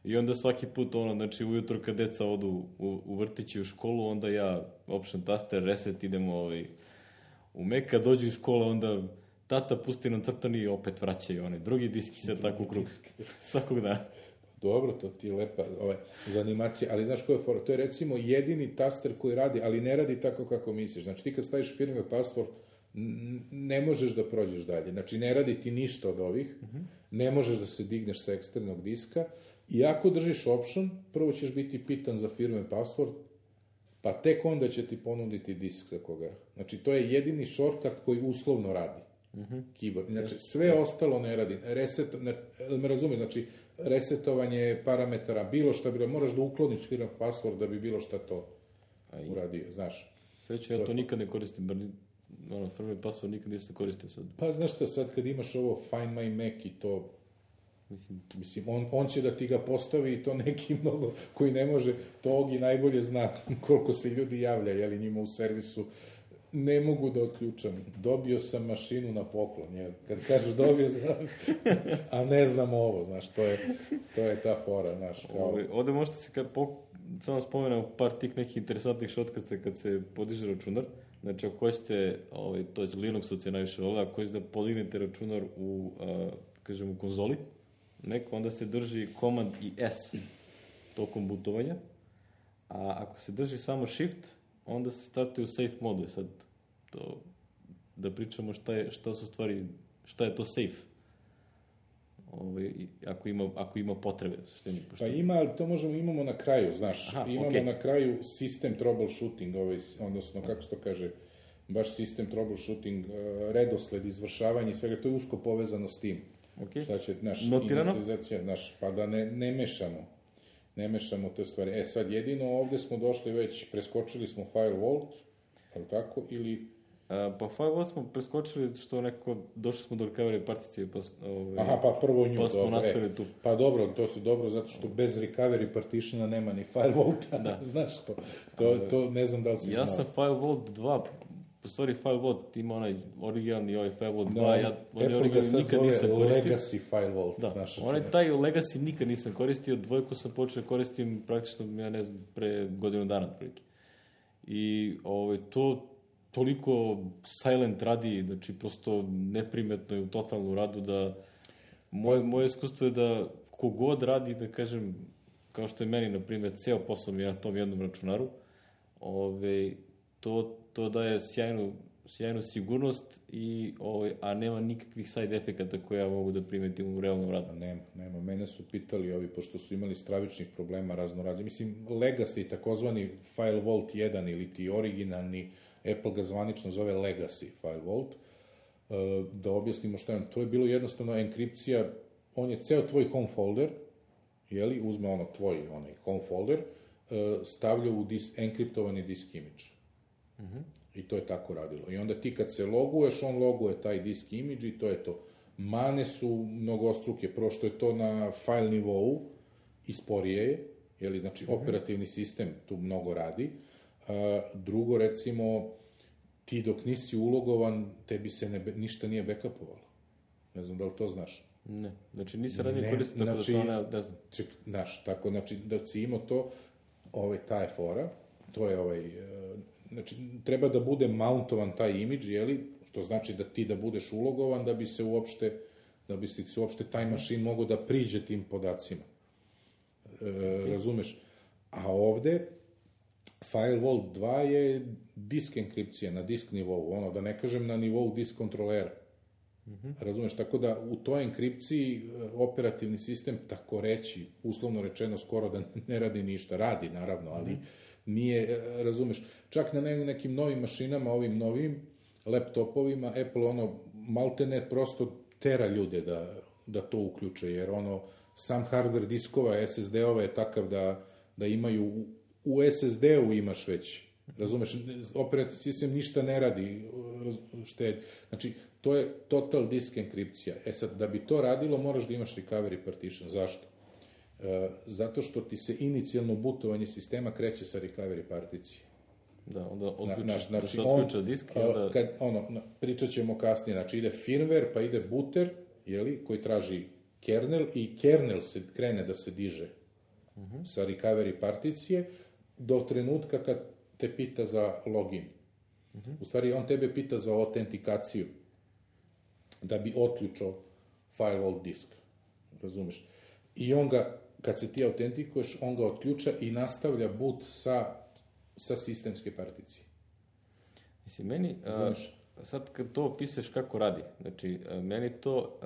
i onda svaki put, ono, znači ujutro kad deca odu u vrtić i u školu, onda ja option taster, reset, idemo u Mac, kad dođu iz škole, onda tata pusti nam crtani i opet vraćaju onaj drugi disk i sve tako u krug. Svakog dana. Dobro, to ti je lepa za animacije, ali znaš koja je fora? To je recimo jedini taster koji radi, ali ne radi tako kako misliš. Znači ti kad staviš firmware password, ne možeš da prođeš dalje. Znači ne radi ti ništa od ovih, ne možeš da se digneš sa eksternog diska i ako držiš option, prvo ćeš biti pitan za firmware password, pa tek onda će ti ponuditi disk za koga. Znači to je jedini shortcut koji uslovno radi. Keyboard. Znači, sve ostalo ne radi. Me razumiješ, znači, resetovanje parametara, bilo šta, moraš da ukloniš firmware password da bi bilo šta to uradio, znaš. Sveće, ja to nikad ne koristim, firmware password nikad nisam koristio sad. Pa znaš šta, sad kad imaš ovo Find My Mac i to, mislim, on će da ti ga postavi i to neki mnogo koji ne može, to Ogi najbolje zna koliko se ljudi javlja, jeli njima u servisu, ne mogu da otključam. Dobio sam mašinu na poklon, jer kad kažeš dobio sam, a ne znam ovo, znaš, to je ta fora, znaš. Ovde možete se, samo spomenem par tih nekih interesantnih shortcuta kad se podiže računar. Znači, ako hoćete, to je Linuxovci se najviše vole, ako hoćete da podignete računar u konzoli, onda se drži Command i S tokom bootovanja, a ako se drži samo Shift, onda se startuje u safe modu. Sad, da pričamo šta su stvari, šta je to safe. Ako ima potrebe. Pa ima, ali to imamo na kraju, znaš. Imamo na kraju sistem troubleshooting, odnosno, kako se to kaže, baš sistem troubleshooting, redosled, izvršavanje i svega, to je usko povezano s tim. Šta će, naš, pa da ne mešamo. Ne mešamo te stvari. Sad jedino ovde smo došli već, preskočili smo File Vault, ali tako, ili... Pa File Vault smo preskočili što nekako, došli smo do recovery particije, pa prvo nju, pa smo nastavili tu. Pa dobro, to se dobro, zato što bez recovery partitiona nema ni File Vaulta, znaš to. To ne znam da li si znao. Ja sam File Vault 2, u stvari File Vault ima onaj originalni, ovaj File Vault 2, ja originalni nikad nisam koristio. Legacy File Vault, znaš. Taj Legacy nikad nisam koristio, dvojku sam počeo koristim praktično, ja ne znam, pre godinu dana otprilike. I to toliko silent radi, znači prosto neprimetno je u totalnu radu da moje iskustvo je da kogod radi, da kažem, kao što je meni, na primjer, ceo posao mi je na tom jednom računaru, to daje sjajnu sigurnost, a nema nikakvih side efekata koje ja mogu da primetim u realnom radu. Nema. Mene su pitali ovi, pošto su imali stravičnih problema raznorazni. Mislim, Legacy, takozvani File Vault 1 ili ti originalni, Apple ga zvanično zove Legacy File Vault, da objasnimo šta je. To je bilo jednostavno enkripcija, on je ceo tvoj home folder, jeli, uzme tvoj home folder, stavlja u enkriptovani disk image. I to je tako radilo. I onda ti kad se loguješ, on loguje taj disk image i to je to. Mane su mnogostruke, prvo što je to na file nivou i sporije je, jeli, znači operativni sistem tu mnogo radi. Drugo, recimo, ti dok nisi ulogovan, tebi se ništa nije backupovalo. Ne znam da li to znaš. Ne, znači nisi ranije koristio, tako da to ne znam. Znaš, tako, znači da si imao to, ta je fora, to je znači, treba da bude mountovan taj imidž, jeli, što znači da ti da budeš ulogovan, da bi se uopšte taj mašin mogao da priđe tim podacima. Razumeš? A ovde, File Vault 2 je disk enkripcija na disk nivou, da ne kažem na nivou disk kontrolera. Razumeš, tako da u toj enkripciji operativni sistem, tako reći, uslovno rečeno, skoro da ne radi ništa. Radi, naravno, ali nije, razumeš, čak na nekim novim mašinama, ovim novim laptopovima, Apple maltene prosto tera ljude da to uključe, jer sam hardware diskova, SSD-ova je takav da imaju, u SSD-u imaš već, razumeš, operativni sistem ništa ne radi, znači, to je total disk enkripcija. Sad, da bi to radilo, moraš da imaš recovery partition. Zašto? Zato što ti se inicijalno bootovanje sistema kreće sa recovery particije. Da, onda da se odključa disk i onda... Pričat ćemo kasnije, znači ide firmware, pa ide booter, koji traži kernel, i kernel se krene da se diže sa recovery particije do trenutka kad te pita za login. U stvari, on tebe pita za autentikaciju, da bi otključao firewall disk. Razumeš? I on ga, kad se ti autentikuješ, on ga otključa i nastavlja boot sa sistemske particije. Mislim, meni, sad kad to opisuješ kako radi, znači, meni to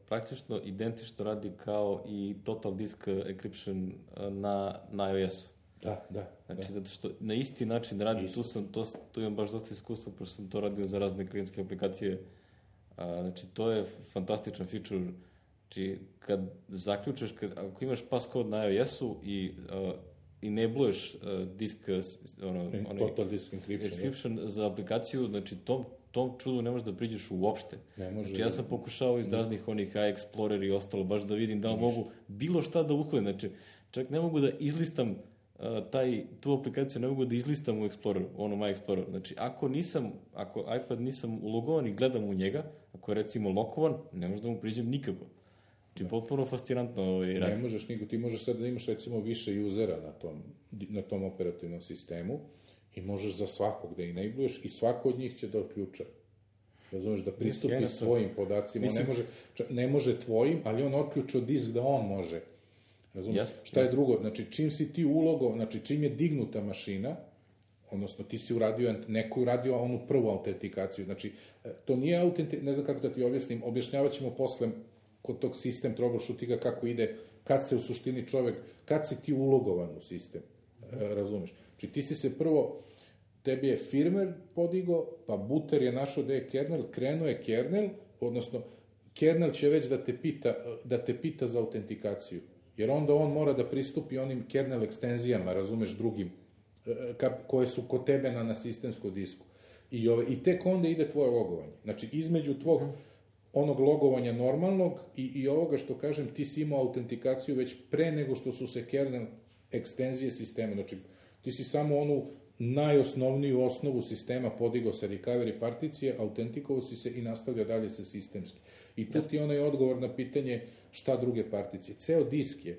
praktično identično radi kao i total disk encryption na iOS-u. Da. Znači, zato što na isti način radi, tu imam baš dosta iskustva, pošto sam to radio za razne klijentske aplikacije. Znači, to je fantastičan feature. Znači, kad zaključeš, ako imaš passcode na iOS-u i enabluješ disk, total disk encryption za aplikaciju, znači, tom čudu ne možeš da priđeš uopšte. Znači, ja sam pokušao iz raznih onih iExplorer i ostalo, baš da vidim da li mogu bilo šta da uhvatim. Znači, čak ne mogu da izlistam tu aplikaciju, ne mogu da izlistam u Exploreru, My Explorer. Znači, ako iPad nisam ulogovan i gledam u njega, ako je recimo lokovan, ne možeš da mu priđem nikako. Znači, potpuno fascinantno radi. Ne možeš nikako, ti možeš sad da imaš recimo više usera na tom operativnom sistemu i možeš za svakog da enabluješ i svako od njih će da otključa. Razumeš, da pristupi svojim podacima. Ne može tvojim, ali on otključao disk da on može. Razumiješ? Šta je drugo? Znači, čim si ti znači, čim je dignuta mašina, odnosno ti si neko uradio onu prvu autentikaciju. Znači, to nije ne znam kako da ti objasnim, objašnjavat ćemo posle kod tog sistem troubleshootinga kako ide, kad se u suštini kad si ti ulogovan u sistem. Razumiješ? Znači, ti si se prvo, tebi je firmware podigo, pa booter je našao da je kernel, krenuo je kernel, odnosno, kernel će već da te pita za autentikaciju. Jer onda on mora da pristupi onim kernel ekstenzijama, razumeš, drugim, koje su kod tebe na sistemskom disku. I tek onda ide tvoje logovanje. Znači, između tvog onog logovanja normalnog i ovoga što kažem, ti si imao autentikaciju već pre nego što su se kernel ekstenzije sistema. Znači, ti si samo onu najosnovniju osnovu sistema podigao sa recovery particije, autentikovao si se i nastavlja dalje sa sistemski. I tu ti onaj odgovor na pitanje šta druge particije. Ceo disk je,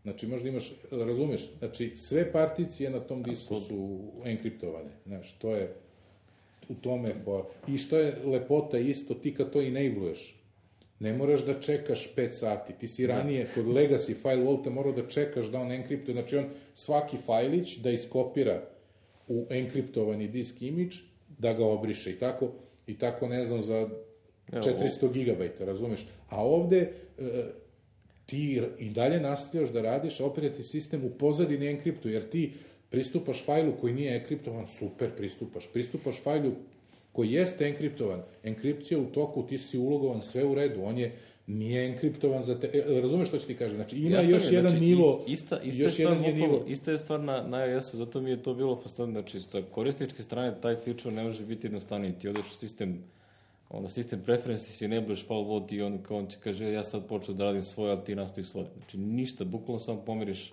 znači možda imaš, razumeš, znači sve particije na tom disku su enkriptovane. Znaš, to je u tome i što je lepota isto, ti kad to enabluješ, ne moraš da čekaš 5 sati. Ti si ranije kod Legacy file vaulta morao da čekaš da on enkriptuje. Znači on svaki fajlić da iskopira u enkriptovani disk imidž, da ga obriše i tako ne znam za 400 gigabajta, razumeš? A ovde ti i dalje nastavljaš da radiš, a operativni sistem u pozadini enkriptuje, jer ti pristupaš fajlu koji nije enkriptovan, super pristupaš fajlu koji jeste enkriptovan, enkripcija u toku, ti si ulogovan, sve u redu, on nije enkriptovan za te, razumeš što ću ti kažem, znači ima još jedan nivo, Ista je stvar na iOS-u, zato mi je to bilo fascinantno, znači sa korisničke strane taj feature ne može biti jednostavniji, ti odeš u sistem preferences i enabluješ file vault i on će kaže ja sad počeo da radim svoje, ali ti nastavi svoje, znači ništa, bukvalno samo pomeriš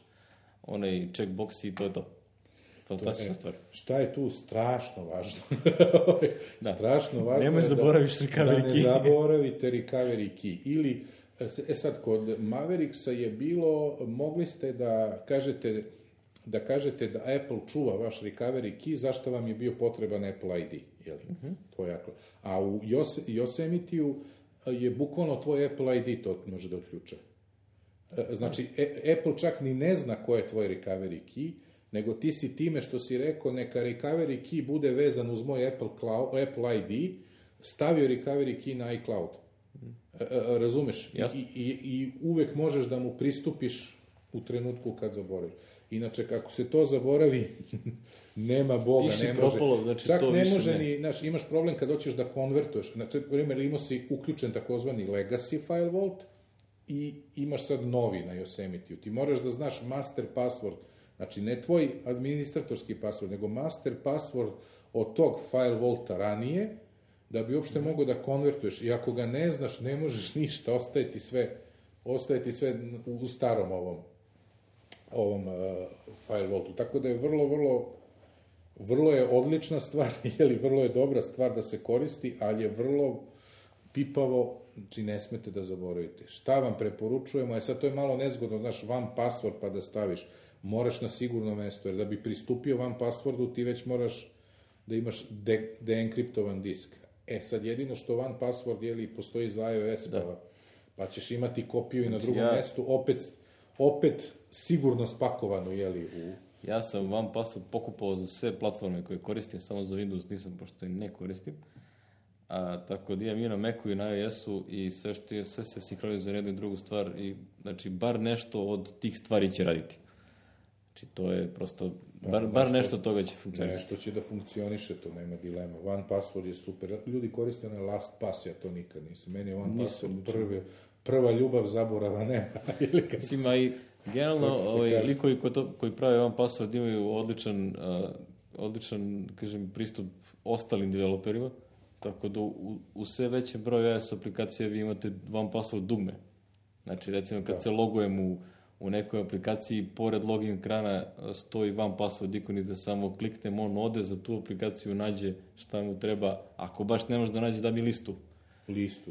onaj checkbox i to je to. Fantastična stvar. Šta je tu strašno važno? Strašno važno nemoj zaboraviš recovery key. Da ne zaboravite recovery key. Ili, sad, kod Mavericksa je bilo, mogli ste da kažete da Apple čuva vaš recovery key, zašto vam je bio potreban Apple ID. To je jako. A u Yosemite-u je bukvalno tvoj Apple ID to može da otključa. Znači, Apple čak ni ne zna ko je tvoj recovery key, nego ti si time što si rekao, neka recovery key bude vezan uz moj Apple ID, stavio recovery key na iCloud. Razumeš? I uvek možeš da mu pristupiš u trenutku kad zaboraviš. Inače, kako se to zaboravi, nema Boga, ne može. Propalo, znači čak to ne više može ni, znaš, imaš problem kad hoćeš da konvertuješ. Znači, primjer, imao si uključen takozvani legacy file vault i imaš sad novi na Yosemite-u. Ti moraš da znaš master password, znači ne tvoj administratorski password, nego master password od tog file vaulta ranije, da bi uopšte mogao da konvertuješ. I ako ga ne znaš, ne možeš ništa, ostaje ti sve u starom ovom file vaultu. Tako da je vrlo je odlična stvar, vrlo je dobra stvar da se koristi, ali je vrlo pipavo, znači ne smete da zaboravite. Šta vam preporučujemo? Sad to je malo nezgodno, znaš, one password pa da staviš. Moraš na sigurno mesto, jer da bi pristupio one passwordu, ti već moraš da imaš deenkriptovan disk. Sad jedino što one password, postoji za iOS, pa ćeš imati kopiju i na drugom mestu, opet sigurno spakovano, Ja sam one password pokupao za sve platforme koje koristim, samo za Windows nisam, pošto im ne koristim. Tako da imam i na Macu i na iOS-u i sve se sinhronizuje za jednu i drugu stvar i, znači, bar nešto od tih stvari će raditi. Znači, to je prosto, bar nešto od toga će funkcionisati. Nešto će da funkcioniše, to nema dilema. One password je super. Ljudi koriste na LastPass, ja to nikad nisam. Meni je one password prva ljubav, zaborava nema. Mislim, a i generalno, likovi koji prave one password imaju odličan, kažem, pristup ostalim developerima, tako da u sve većem broju iOS aplikacija vi imate one password dugme. Znači, recimo, kad se logujem u nekoj aplikaciji, pored login ekrana stoji one password ikon i da samo kliknem, on ode za tu aplikaciju, nađe šta mu treba. Ako baš ne može da nađe, da mi listu.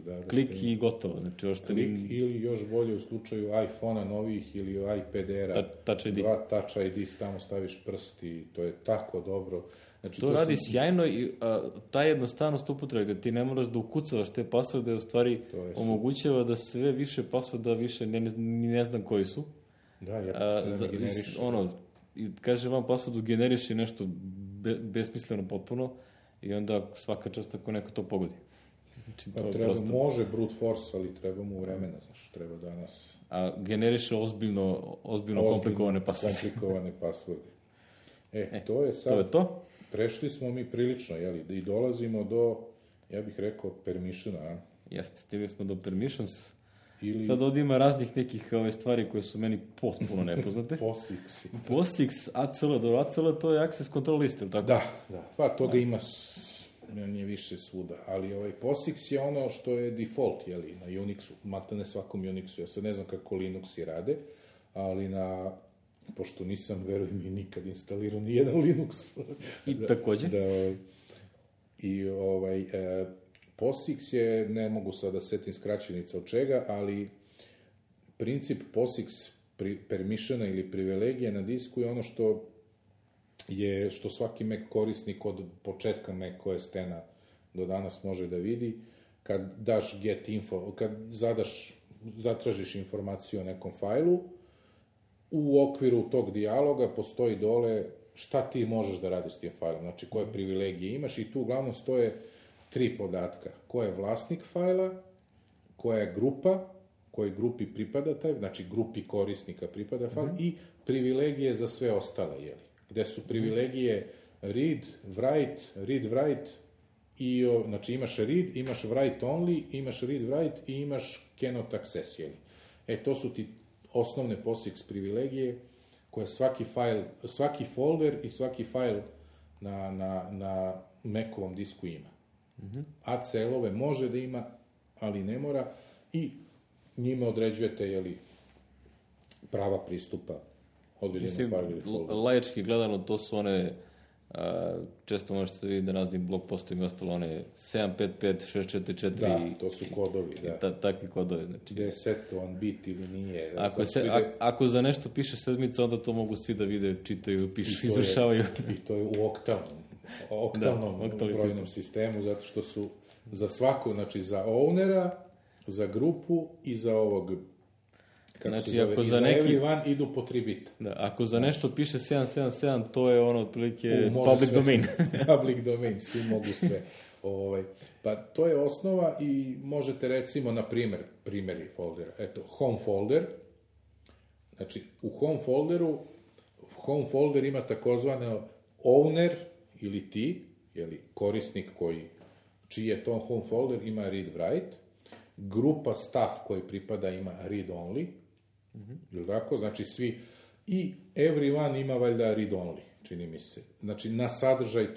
Da. Klik i gotovo. Znači, klik ili još bolje u slučaju iPhone-a novih ili iPad-era. Touch ID. Touch ID, tamo staviš prst i to je tako dobro. Znači, to radi sjajno i ta jednostavnost upotrebe, da ti ne moraš da ukucavaš te passworde, u stvari omogućava da sve više passworda više ne znam koji su. Da, ja ne generiš. Kaže vam passwordu generiši nešto besmisleno potpuno i onda svaka čast ako neko to pogodi. Znači, može brute force, ali treba mu vremena, znaš, treba danas... generiše ozbiljno komplikovane passworde. Komplikovane passworde. To je sad... To je to? Prešli smo mi prilično, i dolazimo do, ja bih rekao, permissiona. Jeste, stigli smo do permissions. Sad ovdje ima raznih nekih stvari koje su meni potpuno nepoznate. POSIX, ACL to je access control list, ili tako? Da. Pa toga ima nije više svuda, ali POSIX je ono što je default, na Unixu, mata ne svakom Unixu. Ja sad ne znam kako Linuxi rade, ali pošto nisam, verujem, i nikad instalirao ni jedan Linux. I također? POSIX je, ne mogu sad da setim skraćenica od čega, ali princip POSIX permissiona ili privilegije na disku je ono što svaki Mac korisnik od početka Mac OS-a do danas može da vidi. Kad daš get info, kad zatražiš informaciju o nekom fajlu, u okviru tog dijaloga postoji dole šta ti možeš da radiš s tim fajlom, znači koje privilegije imaš i tu uglavnom stoje 3 podatka. Ko je vlasnik fajla, koja je grupa, kojoj grupi pripada taj, znači grupi korisnika pripada fajl i privilegije za sve ostale, gde su privilegije read, write i, znači imaš write only, imaš read, write i imaš cannot access, to su ti osnovne POSIX privilegije koje svaki folder i svaki fajl na Macovom disku ima. ACL-ove može da ima, ali ne mora i njime određujete prava pristupa određenom fajlu ili folderu. Laički gledano, to su one, često možete se vidjeti da raznim blog postovima ostalo one 755, 644. Da, to su kodovi, da. Takvi kodovi. Znači, gde je setovan bit ili nije. Ako za nešto piše sedmica, onda to mogu svi da vide, čitaju, pišu, izvršavaju. I to je u oktavnom brojnom sistemu, zato što su za svako, znači za ownera, za grupu i za ovog, kako se zove, i za everyone idu po 3 bita. Da, ako za nešto piše 777, to je ono otprilike public domain. Public domain, svi mogu sve. Pa to je osnova i možete recimo, na primjeri foldera. Eto, home folder. Znači, u home folder ima takozvano owner ili ti, jeli, korisnik čiji je to home folder, ima read-write. Grupa staff koji pripada ima read-only. Ili tako? Znači, svi. I everyone ima valjda read-only, čini mi se. Znači, na sadržaj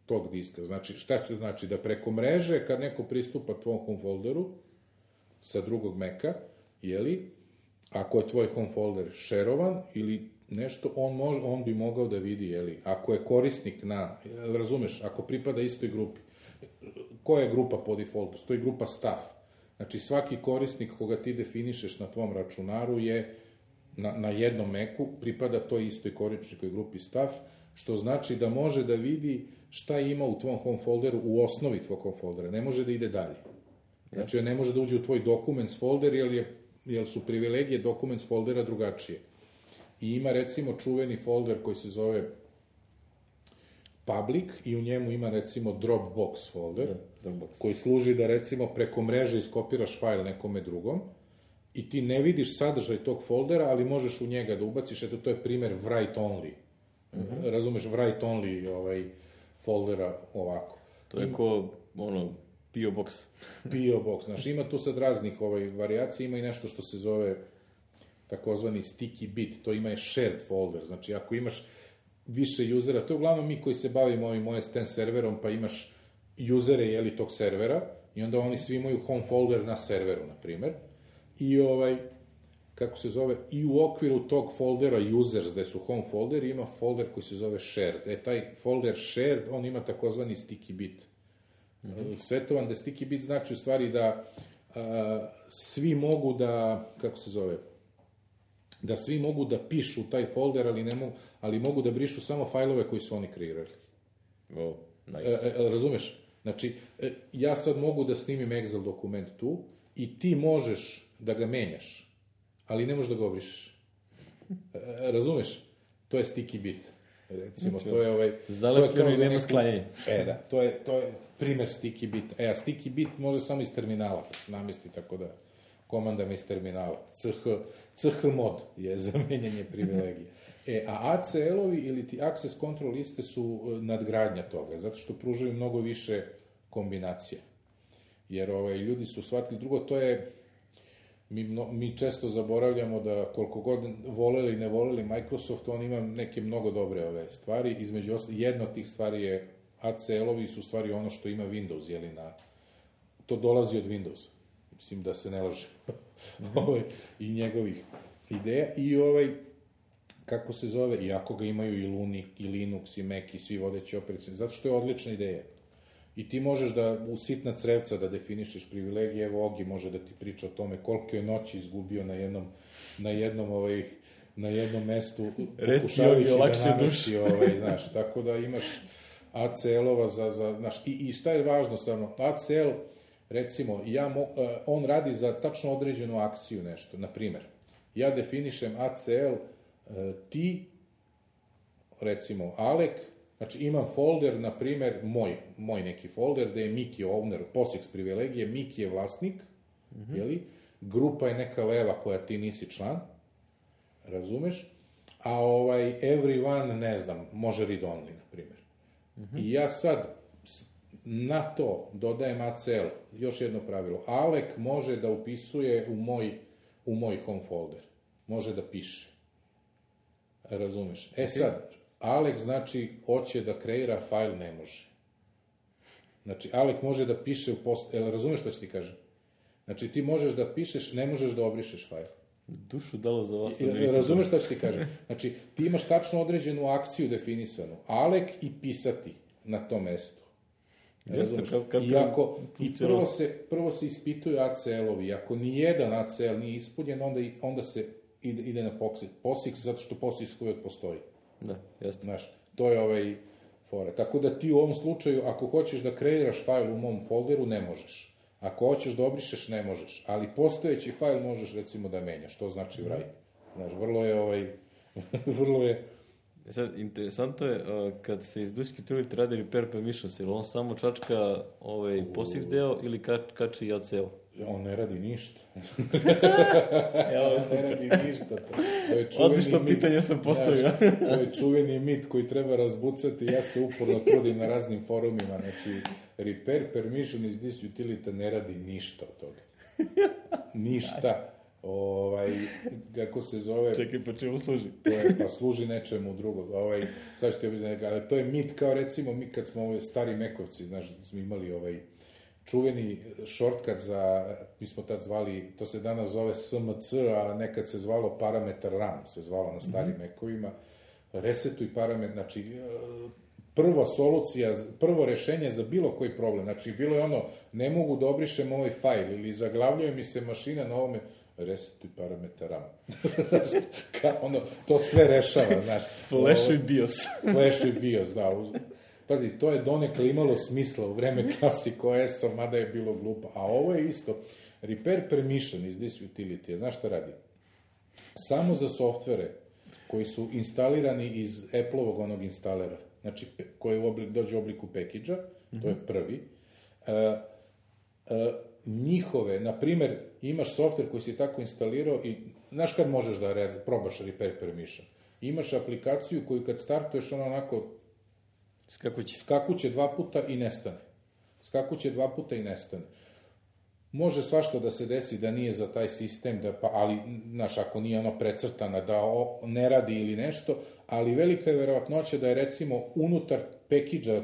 tog diska. Znači, šta se znači? Da preko mreže, kad neko pristupa tvom home folderu sa drugog Maca, jeli, ako je tvoj home folder šerovan ili nešto, on bi mogao da vidi, jeli, ako je korisnik razumeš, ako pripada istoj grupi. Koja je grupa po defaultu? Stoji grupa staff. Znači, svaki korisnik koga ti definišeš na tvom računaru je na jednom Macu, pripada toj istoj korisničkoj grupi staff, što znači da može da vidi šta ima u tvom home folderu, u osnovi tvog home foldera. Ne može da ide dalje. Znači, ne može da uđe u tvoj documents folder, jer su privilegije documents foldera drugačije. I ima, recimo, čuveni folder koji se zove public i u njemu ima, recimo, Dropbox folder, koji služi da, recimo, preko mreže iskopiraš fajl nekome drugom i ti ne vidiš sadržaj tog foldera, ali možeš u njega da ubaciš. Eto, to je primjer write only. Razumeš, write only foldera ovako. To je ko, P.O. Box. P.O. Box, znaš, ima tu sad raznih varijacija, ima i nešto što se zove takozvani sticky bit, to ima i shared folder, znači ako imaš više usera, to je uglavnom mi koji se bavimo ovim OS X serverom, pa imaš usere, jeli, tog servera, i onda oni svi imaju home folder na serveru, na primer, i kako se zove, i u okviru tog foldera users, gde su home folder, ima folder koji se zove shared. Taj folder shared, on ima takozvani sticky bit. Svetovan da sticky bit znači u stvari da svi mogu da, kako se zove, da svi mogu da pišu taj folder, ali mogu da brišu samo fajlove koji su oni kreirali. Nice. Razumeš? Znači, ja sad mogu da snimim Excel dokument tu i ti možeš da ga menjaš, ali ne možeš da ga obrišeš. Razumeš? To je sticky bit. Recimo, to je zalepljeno i nema sklanjanja. Da, to je primer sticky bit. A sticky bit može samo iz terminala da se namesti, tako da komandama iz terminala. CH mod je za menjanje privilegije. A ACL-ovi ili ti access control liste su nadgradnja toga, zato što pružaju mnogo više kombinacija. Jer ljudi su shvatili, drugo, to je, mi često zaboravljamo da koliko god voleli i ne voleli Microsoft, on ima neke mnogo dobre stvari. Između jedna od tih stvari je ACL-ovi su stvari ono što ima Windows, jeli, to dolazi od Windowsa. Mislim da se ne laže. I njegovih ideja. I kako se zove, iako ga imaju i Linux, i Mac, i svi vodeći operacijni, zato što je odlična ideja. I ti možeš da u sitna crevca da definišeš privilegije, evo Ogi može da ti priča o tome koliko je noći izgubio na jednom mestu, pokušavajući da namesti, znaš, tako da imaš ACL-ova znaš, i šta je važno stvarno, ACL, recimo, on radi za tačno određenu akciju nešto, na primer, ja definišem ACL, ti, recimo, Alek, znači imam folder, na primer, moj neki folder, gde je Miki owner, POSIX privilegije, Miki je vlasnik, jeli, grupa je neka leva koja ti nisi član, razumeš, a everyone, ne znam, može read only, na primer. I ja sad na to dodajem ACL, još jedno pravilo, Alek može da upisuje u moj home folder, može da piše, razumeš. Sad, Alek znači hoće da kreira fajl, ne može. Znači, Alek može da piše razumeš što ću ti kažem? Znači, ti možeš da pišeš, ne možeš da obrišeš fajl. Dušu dalo za vas. Razumeš što ću ti kažem? Znači, ti imaš tačno određenu akciju definisanu. Alek i pisati na tom mestu. Razumeš? I prvo se ispituju ACL-ovi. I ako nijedan ACL nije ispunjen, onda se ide na POSIX, zato što POSIX uvijek postoji. Da, jasno. Znaš, to je fora. Tako da ti u ovom slučaju, ako hoćeš da kreiraš fajl u mom folderu, ne možeš. Ako hoćeš da obrišeš, ne možeš. Ali postojeći fajl možeš, recimo, da menjaš. To znači write. Znaš, vrlo je Sad, interesantno je, kad se iz disk utility radi repair permissions, ili on samo čačka POSIX deo ili kači i ACL? On ne radi ništa. Ne radi ništa. Odlično pitanje sam postavio. To je čuveni mit koji treba razbucati. Ja se uporno trudim na raznim forumima. Znači, repair permission iz disk utility ne radi ništa od toga. Ništa. Kako se zove... Čekaj, pa čemu služi? Pa služi nečemu drugog. Sad ću ti objasniti, ali to je mit kao recimo mi kad smo stari Mekovci, znaš, smo imali čuveni shortcut za, mi smo tad zvali, to se danas zove SMC, a nekad se zvalo parametar RAM, se zvalo na starim Mekovima, resetuj parametar, znači prva solucija, prvo rešenje za bilo koji problem, znači bilo je ono, ne mogu da obrišem ovaj fajl ili zaglavljuje mi se mašina na ovome, resetuj parametar RAM. To sve rešava, znaš. Flashuj BIOS. Flashuj BIOS, da. Pazi, to je donekle imalo smisla u vreme Classic OS-a, mada je bilo glupo. A ovo je isto. Repair permission iz disk utility, znaš šta radi? Samo za softvere koji su instalirani iz Apple-ovog onog instalera, znači koji dođe u obliku package-a, to je prvi, njihove, na primer, imaš softver koji si tako instalirao i znaš kad možeš da probaš repair permission? Imaš aplikaciju koju kad startuješ ona onako skakuće 2 puta i nestane. Skakuće 2 puta i nestane. Može svašta da se desi da nije za taj sistem, ali, znaš, ako nije ono precrtana, da ne radi ili nešto, ali velika je verovatnoća da je recimo unutar package-a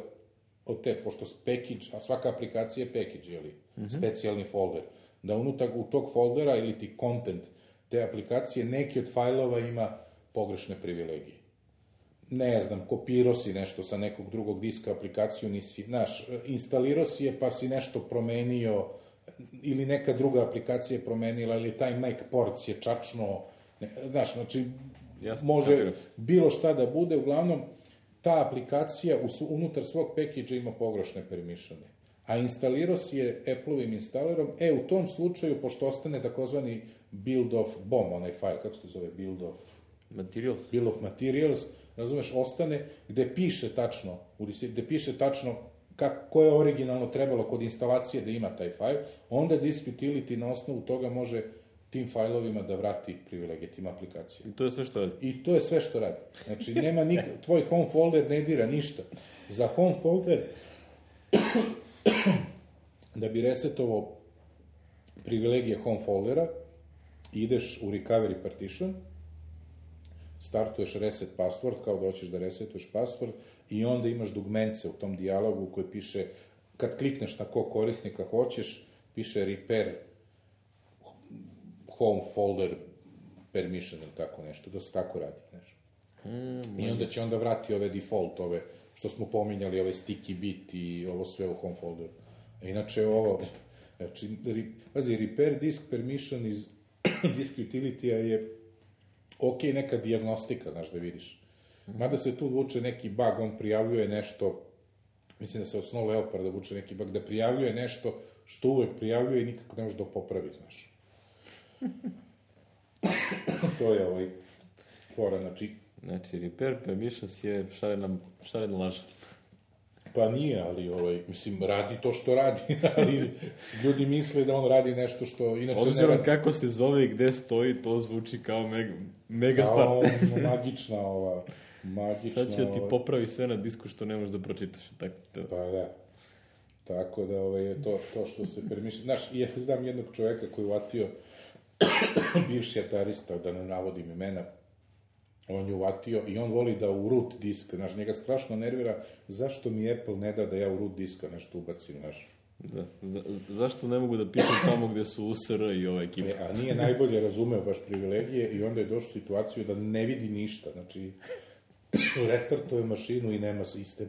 od te, pošto package, a svaka aplikacija je package, jeli, specijalni folder, da unutar u tog foldera ili ti content te aplikacije, neki od fajlova ima pogrešne privilegije. Ne znam, kopirao si nešto sa nekog drugog diska, aplikaciju nisi, znaš, instalirao si je pa si nešto promenio, ili neka druga aplikacija je promenila, ili taj Mac port je čačno, znaš, znači, može bilo šta da bude, uglavnom, ta aplikacija unutar svog package-a ima pogrešne permissione. A instalirao si je Apple-ovim instalerom, u tom slučaju, pošto ostane takozvani build of BOM, onaj file, kako se to zove, build of materials, razumeš, ostane gde piše tačno koje je originalno trebalo kod instalacije da ima taj fajl, onda disk utility na osnovu toga može tim fajlovima da vrati privilegije tim aplikacijama. I to je sve što radi? I to je sve što radi. Znači, nema tvoj home folder ne dira ništa. Za home folder, da bi resetovao privilegije home foldera, ideš u recovery partition, startuješ reset password, kao da hoćeš da resetuješ password, i onda imaš dugmence u tom dijalogu koji piše, kad klikneš na kog korisnika hoćeš, piše repair home folder permission ili tako nešto, da se tako radi, znaš. I onda će onda vrati ove default, ove što smo pominjali, ove sticky bit i ovo sve u home folderu. Inače ovo, znači, repair disk permission iz disk utility-a je ok, neka dijagnostika, znaš, da vidiš. Mada se tu vuče neki bug, on prijavljuje nešto, mislim da se od Snow Leoparda vuče neki bug, da prijavljuje nešto što uvek prijavljuje i nikako ne može da popravi, znaš. To je fora, znači... Znači, repair permissions je šarena laža. Pa nije, ali, mislim, radi to što radi, ali ljudi misle da on radi nešto što inače... Obzirom kako se zove i gde stoji, to zvuči kao mega stvar. Kao magična Sad će ti popravi sve na disku što ne možeš da pročitaš. Pa da. Tako da je to što se permišlja. Znaš, ja znam jednog čoveka koji je uvatio, bivši atarista, da ne navodim imena, on je uvatio i on voli da u root disk, znaš, njega strašno nervira, zašto mi Apple ne da ja u root diska nešto ubacim, znaš. Da, zašto ne mogu da pišem tamo gde su USR i ova ekipa? A nije najbolje razumeo baš privilegije i onda je došao u situaciju da ne vidi ništa, znači, restartuje mašinu i nema sistem.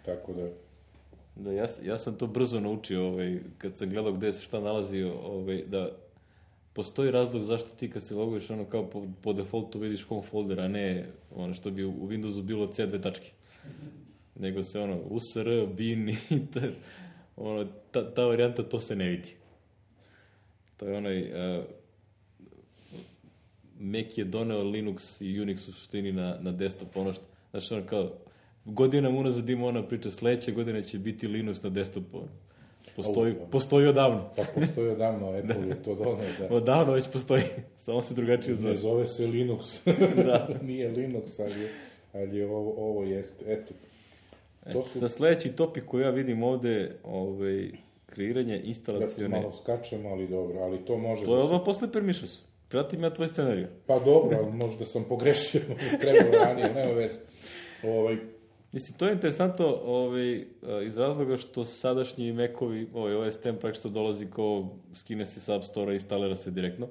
Tako da... Da, ja sam to brzo naučio, kad sam gledao gde se šta nalazi, da postoji razlog zašto ti kad se loguješ ono kao po defaultu vidiš home folder, a ne ono što bi u Windowsu bilo C2 tačke. Nego se USR, bin i ta varijanta, to se ne vidi. To je Mac je doneo Linux i Unix u suštini na desktop, ono što, znači ono kao, godinama unazad ima ona priča, sledeće godine će biti Linux na desktopu. Postoji odavno. Pa postoji odavno, Apple je to doneo. Da. Odavno već postoji, samo se drugačije zove. Ne zove se Linux. Da. Nije Linux, ali je ovo jeste. Eto. Sa sledeći topik koji ja vidim ovde, kreiranje instalacione... Ja malo skačemo, ali dobro, ali to može... To je odmah posle permissions. Pratim ja tvoj scenariju. Pa dobro, ali možda sam pogrešio, možda trebalo ranije, nema veze. Mislim, to je interesantno iz razloga što sadašnji Mac-ovi, OS X praktično dolazi kao skine se sa App Store-a i instalira se direktno.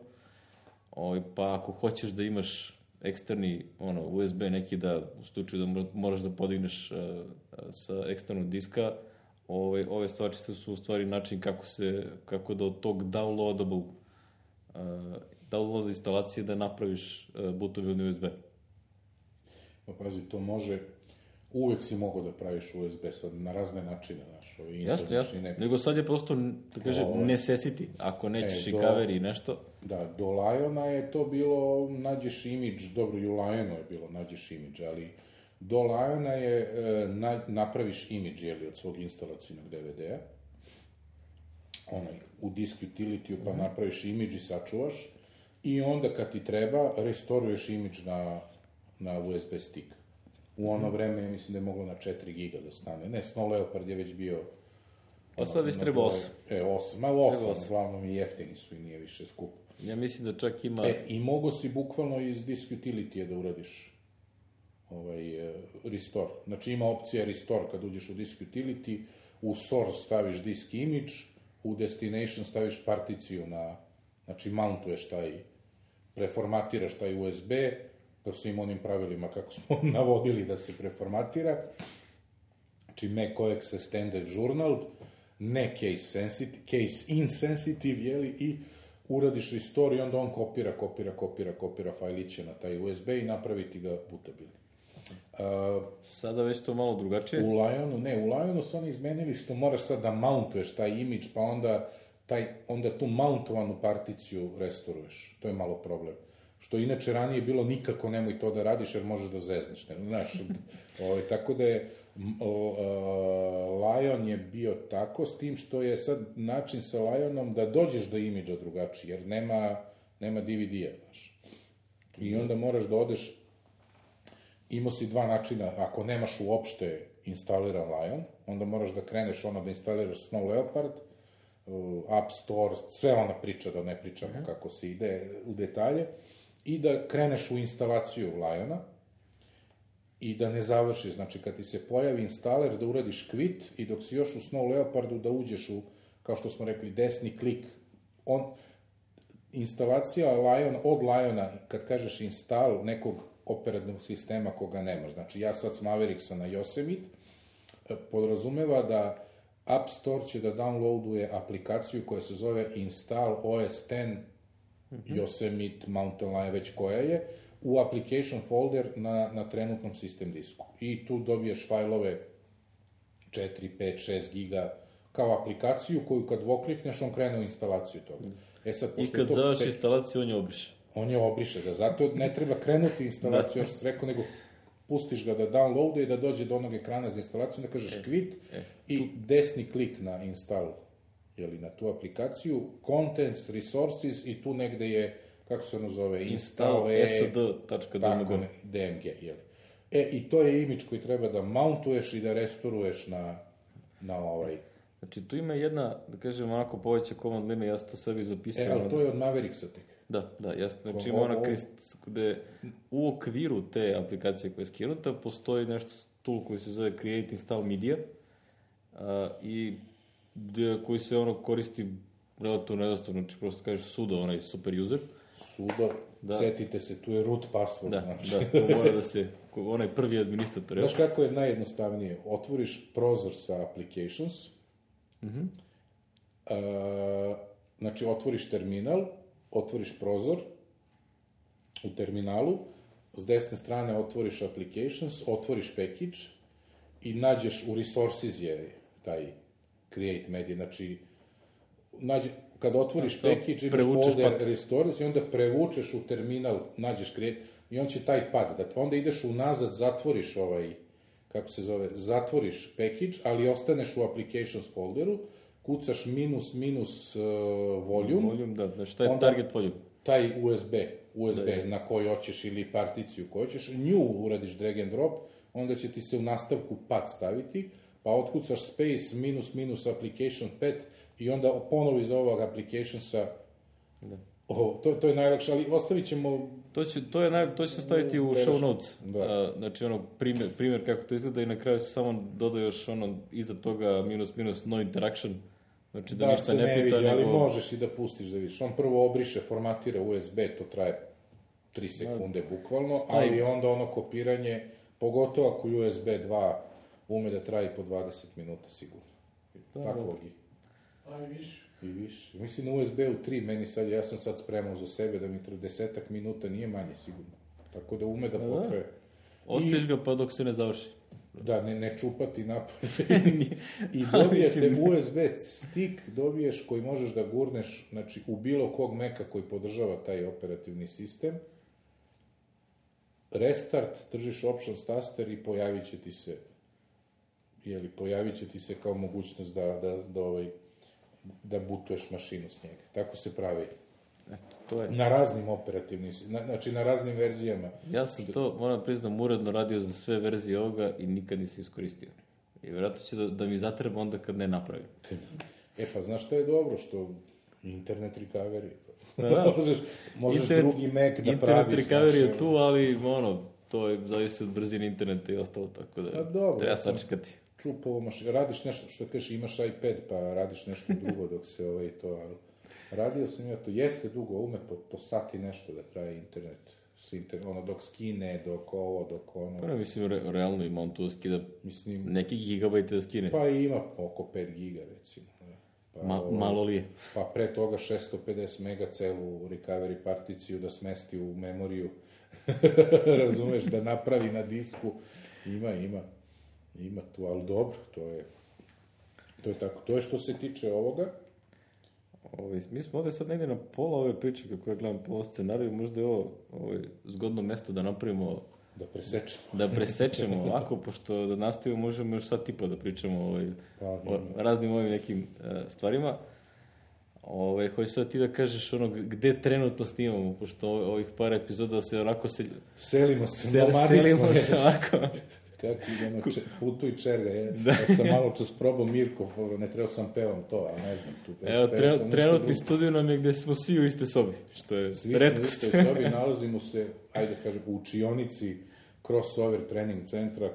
Pa ako hoćeš da imaš eksterni USB neki da, u slučaju da moraš da podigneš sa eksternog diska, ove stvarčice su u stvari način kako da od tog download instalacije da napraviš bootabilni USB. Pa pazi, to može... Uvek si mogao da praviš USB sad na razne načine, znaš. Jasno. Nego sad je prosto, da kažem, necessity. Ako nećeš i cover i nešto. Da, do Liona je to bilo, nađeš imidž, dobro, i u Lionu je bilo, nađeš imidž, ali do Liona je napraviš imidž, od svog instalacijnog DVD-a, u disk utility-u, pa napraviš imidž i sačuvaš, i onda kad ti treba, restoruješ imidž na USB stick. U ono vreme, mislim da je moglo na 4 giga da stane. Ne, Snow Leopard je već bio... Pa sad već treba 8. 8. Ma 8, glavnom i jeftini su i nije više skupo. Ja mislim da čak ima... I mogo si bukvalno iz disk utility-a da uradiš restore. Znači ima opcija restore kad uđeš u disk utility, u source staviš disk image, u destination staviš particiju znači mountuješ preformatiraš taj USB, po svim onim pravilima kako smo navodili da se preformatira. Znači macOS Extended Journal, ne case insensitive, i uradiš restore i onda on kopira fajliće na taj USB i napravi ti ga bootabilni. Sada već to malo drugačije? U Lionu su oni izmenili što moraš sad da mountuješ taj imidž, pa onda tu mountovanu particiju restoruješ. To je malo problem. Što inače ranije bilo nikako nemoj to da radiš jer možeš da zezneš. Znaš, tako da je Lion je bio tako, s tim što je sad način sa Lionom da dođeš do imidža drugačiji, jer nema DVD-a, znaš. I onda moraš da odeš, imao si dva načina, ako nemaš uopšte instaliran Lion, onda moraš da kreneš da instaliraš Snow Leopard, App Store, sve ona priča, da ne pričamo kako se ide u detalje, i da kreneš u instalaciju Liona i da ne završiš, znači kad ti se pojavi instaler da uradiš quit i dok si još u Snow Leopardu da uđeš u, kao što smo rekli, desni klik, instalacija od Liona, kad kažeš install nekog operativnog sistema koga nemaš, znači ja sad s Mavericksa na Yosemite, podrazumeva da App Store će da downloaduje aplikaciju koja se zove Install OS X Yosemite, Mountain Lion, već koja je, u application folder na trenutnom sistem disku. I tu dobiješ fajlove 4, 5, 6 giga kao aplikaciju koju kad dvoklikneš, on krene u instalaciju toga. I kad završi instalaciju, on je obriše. On je obriše, da. Zato ne treba krenuti instalaciju, još se rekao, nego pustiš ga da downloade i da dođe do onog ekrana za instalaciju, da kažeš quit i desni klik na install, na tu aplikaciju, contents, resources i tu negde je, kako se ono zove, install.sd.dmg, i to je imidž koji treba da mountuješ i da restoruješ na ovaj. Znači, tu ima jedna, da kažem, onako poveća command line, ja sam to sebi zapisao. Ali to je od Mavericksa tek. Da, jasno. Znači, ima ona gde u okviru te aplikacije koja je skinuta postoji nešto tool koji se zove Create Install Media i koji se koristi relativno jednostavno, znači prosto kažeš sudo, onaj super user. Sudo, setite se, tu je root password. Da, mora da se, onaj prvi administrator. Znaš kako je najjednostavnije? Otvoriš prozor sa applications, znači otvoriš terminal, otvoriš prozor u terminalu, s desne strane otvoriš applications, otvoriš package i nađeš u resources je taj create media, znači kad otvoriš package, imaš folder restores i onda prevučeš u terminal, nađeš create i on će taj pad dati. Onda ideš unazad, zatvoriš zatvoriš package, ali ostaneš u applications folderu, kucaš minus volume. Volume, da, znači taj je target volume. Taj USB na koji hoćeš ili particiju koju hoćeš, nju uradiš drag and drop, onda će ti se u nastavku pad staviti, pa otkucaš space minus application pad i onda ponovo iz ovog applicationsa. To je najlakše, ali ostavit ćemo... To će staviti u show notes. Znači, primjer kako to izgleda i na kraju se samo doda još iza toga minus no interaction. Znači da ništa ne pita, vidi, ali možeš i da pustiš da vidiš. On prvo obriše, formatira USB, to traje 3 sekunde bukvalno, ali onda kopiranje, pogotovo ako USB 2 ume da traje po 20 minuta sigurno. Takvog i. Pa i više. I više. Mislim na USB-u 3, ja sam sad spremao za sebe da mi 30 minuta nije manje sigurno. Tako da ume da potraje. Ostaviš ga pa dok se ne završi. Da, ne čupati napad. I dobijete USB stick, dobiješ koji možeš da gurneš, znači u bilo kog Maca koji podržava taj operativni sistem. Restart, držiš options taster i pojavit će ti se kao mogućnost da bootuješ mašinu s njega. Tako se pravi. To je. Na raznim operativnim, znači na raznim verzijama. Ja sam to, moram priznam, uredno radio za sve verzije ovoga i nikad nisam iskoristio. I vjerojatno će da mi zatreba onda kad ne napravim. Pa znaš što je dobro? Što internet recovery. Možeš drugi Mac da praviš. Internet recovery je tu, ali to je zavisi od brzine interneta i ostalo, tako da treba sačekati. Čupovo radiš nešto, što kažeš, imaš iPad, pa radiš nešto drugo dok se radio sam ja to, jeste dugo, ume po sati nešto da traje internet, dok skine, dok ono... Pa mislim, realno ima on tu da skida neki gigabajte da skine. Pa ima oko 5 giga, recimo. Malo li je? Pa pre toga 650 mega celu recovery particiju da smesti u memoriju, razumeš, da napravi na disku, ima tu, ali dobro, to je tako. To je što se tiče ovoga. Mi smo ovdje sad negdje na pola ove priče, kako ja gledam po scenariju, možda je ovo zgodno mesto da napravimo... Da presečemo ovako, pošto da nastavimo možemo još sad tipa da pričamo o raznim ovim nekim stvarima. Hoćeš sad ti da kažeš gde trenutno snimamo, pošto ovih par epizoda se onako selimo se ovako. Kako idemo, putuj čerga, ja sam malo čas probao Mirkov, ne trebao sam pevam to, a ne znam tu. Trenutni studiju nam je gde smo svi u iste sobi, što je retkost. Svi smo u iste sobi, nalazimo se, u učionici crossover trening centra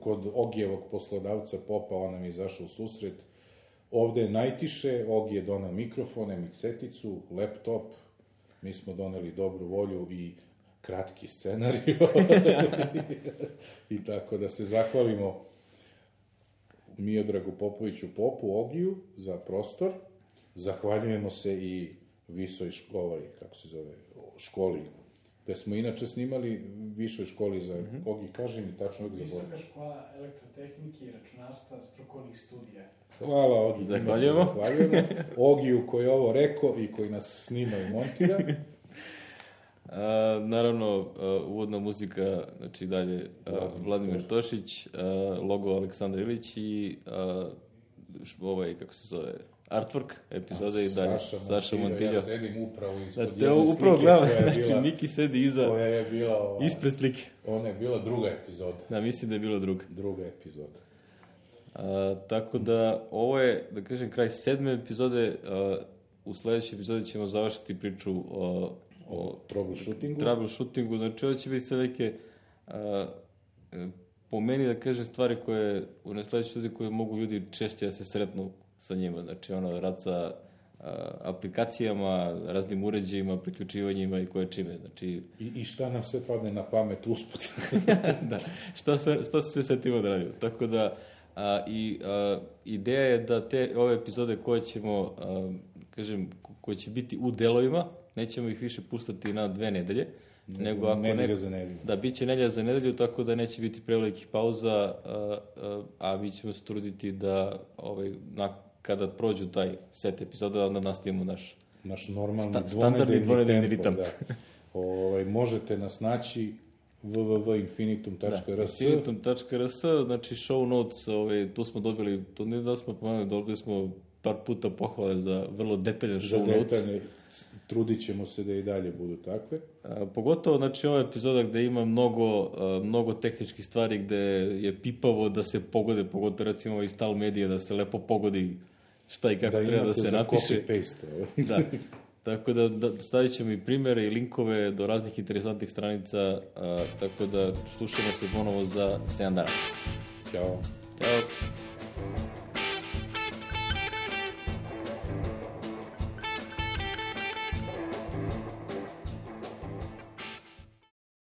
kod Ogijevog poslodavca Popa, on nam je izašao u susret. Ovde je najtiše, Ogi je donao mikrofone, mikseticu, laptop, mi smo doneli dobru volju i kratki scenarij. I tako da se zahvalimo Miodragu Popoviću Popu, Ogiju, za prostor. Zahvaljujemo se i visoj školi, gde smo inače snimali višoj školi za Ogi, kaži mi tačno uvijek zaboravim. Visoka škola elektrotehnike i računarstva strukovnih studija. Hvala Ogi. Zahvaljujemo. Ogiju koji je ovo rekao i koji nas snima i montira. Naravno, uvodna muzika, znači dalje Vladimir Tošić, logo Aleksandar Ilić i kako se zove, artwork epizode i dalje Saša Montiljo. Ja sedim upravo ispod jedne slike koja je znači bila... Miki sedi iza, koja je bila ispred slike. Ona je bila druga epizoda. Da, mislim da je bila druga. Druga epizoda. Tako da, ovo je, da kažem, kraj 7. epizode. U sledećoj epizodi ćemo završiti priču o troubleshootingu. Znači, ovo će biti sve neke, po meni da kažem, stvari koje, u nesledećoj ljudi koje mogu ljudi češće da se sretnu sa njima. Znači, rad sa aplikacijama, raznim uređajima, priključivanjima i koje čime. Znači... I šta nam sve padne na pamet usput. Da, šta se sve setimo da radimo. Tako da, ideja je da ove epizode koje ćemo, koje će biti u delovima, nećemo ih više pustati na 2 nedelje, nego ako nedelja za nedelju. Da, bit će nedelja za nedelju, tako da neće biti prevelikih pauza, a mi ćemo se truditi da kada prođu taj set epizoda, onda nastavimo naš normalni standardni dvonedeljni ritam. Možete nas naći www.infinitum.rs. Infinitum.rs, znači show notes, tu smo dobili, to ne da smo pomenuli, dobili smo par puta pohvale za vrlo detaljan show notes. Trudit ćemo se da i dalje budu takve. Pogotovo, znači, ova epizoda gde ima mnogo tehničkih stvari, gde je pipavo da se pogode, pogotovo recimo i Stal Medije, da se lepo pogodi šta i kako treba da se napiše. Da imate za copy-paste. Da. Tako da stavit ćemo i primere i linkove do raznih interesantnih stranica, tako da slušamo se ponovo za 7 dana. Ćao. Ćao.